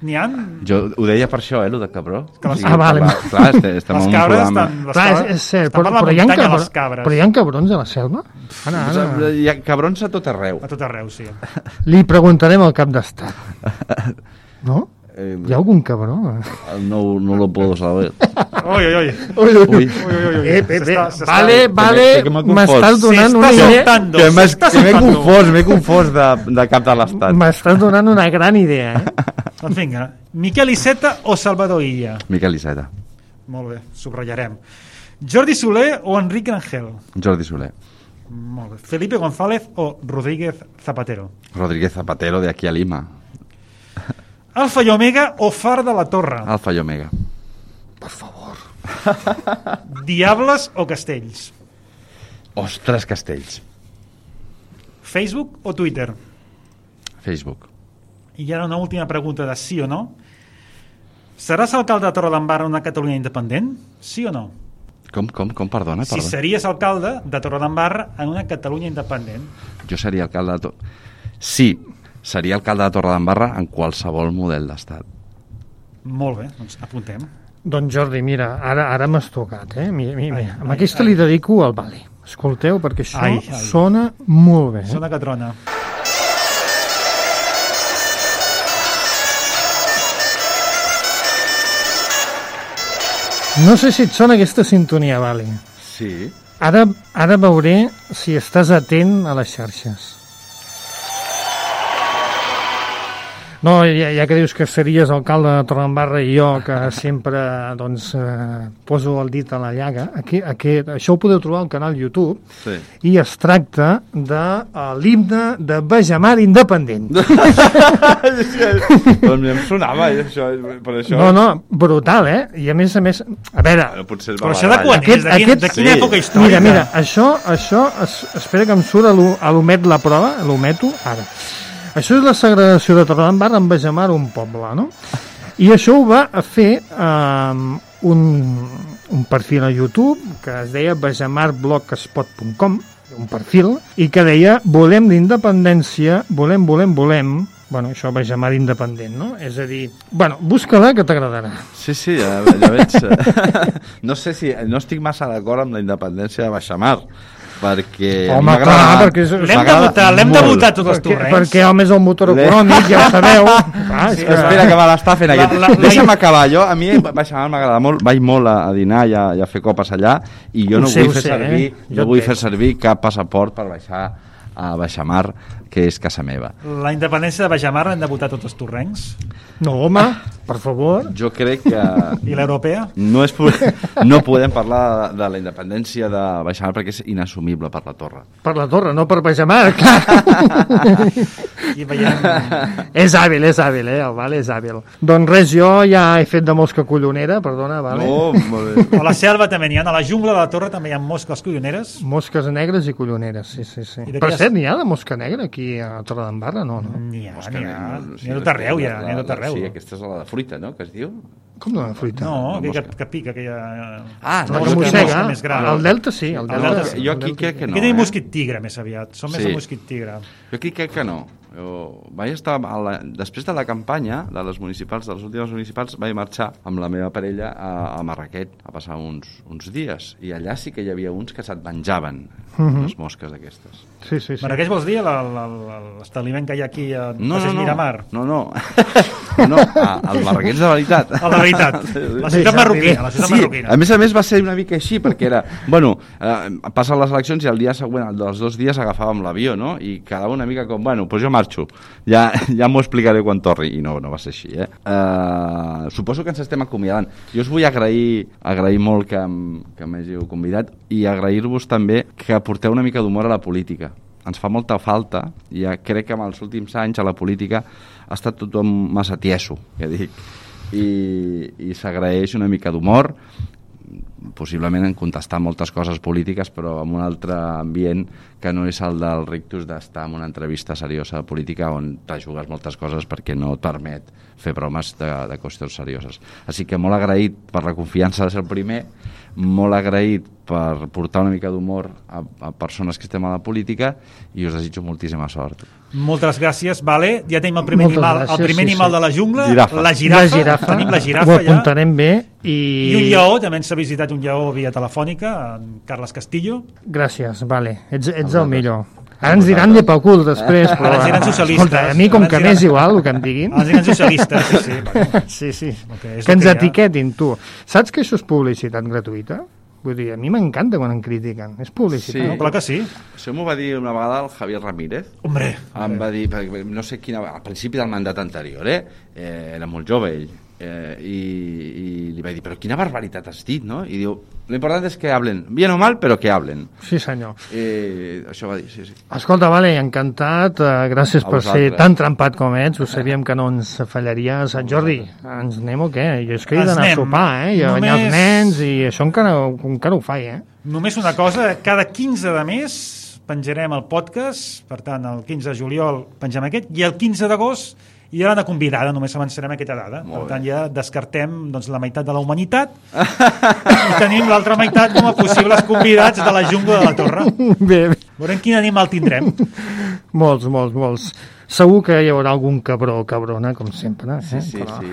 n'hi ha... Jo ho deia per això, eh, lo de cabró. Les... Ah, vale. Clar, clar estem, estem les en un cabres programa... estan... Clar, és, és cert, però, però, hi ha cabr... però hi ha cabrons a la selva? Ara, ara. Hi ha cabrons a tot arreu. A tot arreu, sí. Li preguntarem al cap d'estat. No? Eh, ¿Hi ha algun cabró? No, no lo puedo saber. Ui, ui, ui. Ui, ui, ui. Eh, eh, eh. Vale, vale, m'estàs donant una idea... Que m'he confós, m'he confós de, de cap de l'estat. M'estàs donant una gran idea, eh? Doncs vinga, Miquel Iceta o Salvador Illa? Miquel Iceta. Molt bé, subratllarem. Jordi Soler o Enric Rangel? Jordi Soler. Molt bé. Felipe González o Rodríguez Zapatero? Rodríguez Zapatero, de aquí a Lima. Alfa i Omega o Far de la Torre? Alfa i Omega. Per favor. Diables o Castells? Ostres, Castells. Facebook o Twitter? Facebook. I ara una última pregunta de sí o no. Seràs alcalde de Torredembarra en una Catalunya independent? Sí o no? Com, com, com, perdona, perdona. Si series alcalde de Torredembarra en una Catalunya independent. Jo seria alcalde de... To... Sí, seria alcalde de Torredembarra en qualsevol model d'estat. Molt bé, doncs apuntem. Doncs Jordi, mira, ara ara m'has tocat, eh? Mira, mira, ai, amb ai, aquesta ai. li dedico al Vale. Escolteu, perquè això ai, ai. sona molt bé. Eh? Sona que trona. No sé si et sona aquesta sintonia, Vali. Sí. Ara, ara veuré si estàs atent a les xarxes. No, ja, ja que dius que series alcalde de Torredembarra i jo, que sempre doncs, eh, poso el dit a la llaga, aquí, aquí, això ho podeu trobar al canal YouTube, sí. I es tracta de uh, l'himne de Bajamar independent. Doncs em sonava, això, per això... No, no, brutal, eh? I a més a més... A veure... Bueno, potser però això de quan aquest, és? De, quin, aquest, de quina sí. època històrica? Mira, mira, això, això es, espera que em surt a l'omet la prova, l'ometo, ara. Això és la segregació de Torredembarra amb Bajamar, un poble, no? I això ho va fer um, un, un perfil a YouTube que es deia bajamar blogspot punt com, un perfil, i que deia volem l'independència, volem, volem, volem, bueno, això Bajamar independent, no? És a dir, bueno, busca-la que t'agradarà. Sí, sí, ja, ja veig. No sé si, no estic massa d'acord amb la independència de Bajamar, perquè... Home, clar, perquè... L'hem de votar, l'hem de votar tots els torrents. Perquè, home, és el motor econòmic, ja ho sabeu. Ah, sí, que... Espera, que me l'està fent aquest. La, la, Deixa'm la... acabar, jo, a mi Bajamar m'agrada molt, vaig molt a, a dinar i a, i a fer copes allà, i jo no sé, vull fer sé, servir, eh? no vull fer servir cap passaport per baixar a Bajamar, que és casa meva. La independència de Bajamar l'han de votar tots els torrencs? No, home, per favor. Jo crec que... I l'europea? No, és, no podem parlar de, de la independència de Bajamar perquè és inassumible per la Torre. Per la Torre, no per Bajamar, clar. I veiem... És hàbil, és hàbil, eh? El Vale és hàbil. Doncs res, jo ja he fet de mosca collonera, perdona, Vale. No, molt bé. A la selva també n'hi ha, a la jungla de la Torre també hi ha mosques colloneres. Mosques negres i colloneres, sí, sí, sí. Per cert, n'hi ha de mosca negra aquí a Torredembarra, no? no? N'hi ha, n'hi ha. N'hi ha tot arreu, ja, n'hi ha tot arreu. Sí, aquesta és la de fruita, no?, que es diu? Com la de fruita? No, que, que, que pica, que hi ha... Ah, no, que mossega. El delta sí, el delta. delta, sí. Jo aquí crec que no. Aquest és eh? mosquit tigre, més aviat. Són sí. més de mosquit tigre. Jo aquí crec que no. Jo vaig estar a la, després de la campanya de les municipals, de les últimes municipals, vaig marxar amb la meva parella a, a Marraquet a passar uns, uns dies, i allà sí que hi havia uns que se't menjaven uh -huh. les mosques aquestes. Sí, sí, sí. Marraquet vols dir l'establiment que hi ha aquí a no, Passeig no, no. Miramar? No, no, no, el Marraquets de veritat. El de veritat, la ciutat marroquina, la ciutat sí, marroquina. A més a més va ser una mica així, perquè era, bueno, eh, passen les eleccions i el dia següent, dels dos dies agafàvem l'avió, no?, i quedava una mica com, bueno, doncs jo marxo, ja, ja m'ho explicaré quan torni, i no, no va ser així, eh? Uh, suposo que ens estem acomiadant. Jo us vull agrair, agrair molt que, que m'hàgiu convidat, i agrair-vos també que porteu una mica d'humor a la política. Ens fa molta falta, i ja crec que en els últims anys a la política ha estat tothom massa tieso, que dic, i, i s'agraeix una mica d'humor, possiblement en contestar moltes coses polítiques, però en un altre ambient que no és el del rictus d'estar en una entrevista seriosa de política on te jugues moltes coses perquè no et permet fer bromes de, de qüestions serioses. Així que molt agraït per la confiança de ser el primer, molt agraït per portar una mica d'humor a, a persones que estem a la política, i us desitjo moltíssima sort. Moltes gràcies, vale. Ja tenim el primer Moltes animal, gràcies, el primer sí, animal sí. de la jungla, Girafa. la girafa. La girafa. Tenim la girafa Ho ja. apuntarem bé. I... I un lleó, també ens ha visitat un lleó via telefònica, en Carles Castillo. Gràcies, vale. Ets, ets el millor. Ara ens diran llepacul després, però... Ara ens diran socialistes. Escolta, a mi com que m'és igual el que em diguin... Ara ens diran socialistes, sí, sí. Bueno. Sí, sí. Okay, que ens que etiquetin, tu. Saps que això és publicitat gratuïta? Vull dir, a mi m'encanta quan em critiquen. És publicitat. Sí, no, clar que sí. Això m'ho va dir una vegada el Javier Ramírez. Hombre. Em va dir, no sé quina... Al principi del mandat anterior, eh? eh era molt jove ell. Eh, i, i li vaig dir, però quina barbaritat has dit, no? I diu, lo important és que hablen, bien o mal, però que hablen. Sí, senyor. Eh, això va dir, sí, sí. Escolta, vale, encantat, uh, gràcies A per vosaltres. ser tan trampat com ets, ho sabíem que no ens fallaries. Sant Jordi, ens anem o què? Jo és que he Ens d'anar a anem. sopar, eh? I a Només- banyar els nens, i això encara, encara ho faig, eh? Només una cosa, cada quinze de mes penjarem el podcast, per tant, el quinze de juliol pengem aquest, i el quinze d'agost hi ha una convidada, només avançarem aquesta dada. Molt Per tant, bé. ja descartem doncs, la meitat de la humanitat i tenim l'altra meitat com a possibles convidats de la jungla de la Torre. Bé, bé. Veurem quin animal tindrem. Molts, molts, molts. Segur que hi haurà algun cabró o cabrona, com sempre. Eh? Sí, sí, Però- sí.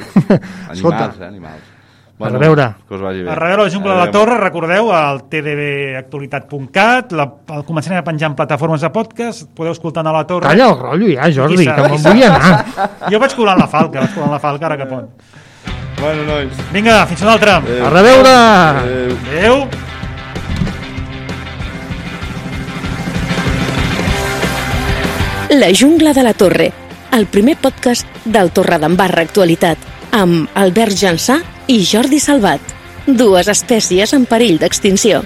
Escolta, Animals, eh, animals. Bueno, a reveure. Que us vagi bé. A reveure la Jungla de la Torre, recordeu, al t d b actualitat punt cat, la, el començarem a penjar en plataformes de podcast, podeu escoltar a la Torre. Calla el rotllo ja, Jordi, que me'n vull anar. Jo vaig colant la falca, vaig colant la falca ara que pot. Bueno, nois. Vinga, fins una altra. A reveure. Adéu. Adéu. La Jungla de la Torre, el primer podcast del Torredembarra Actualitat, amb Albert Jansà i Jordi Salvat, dues espècies en perill d'extinció.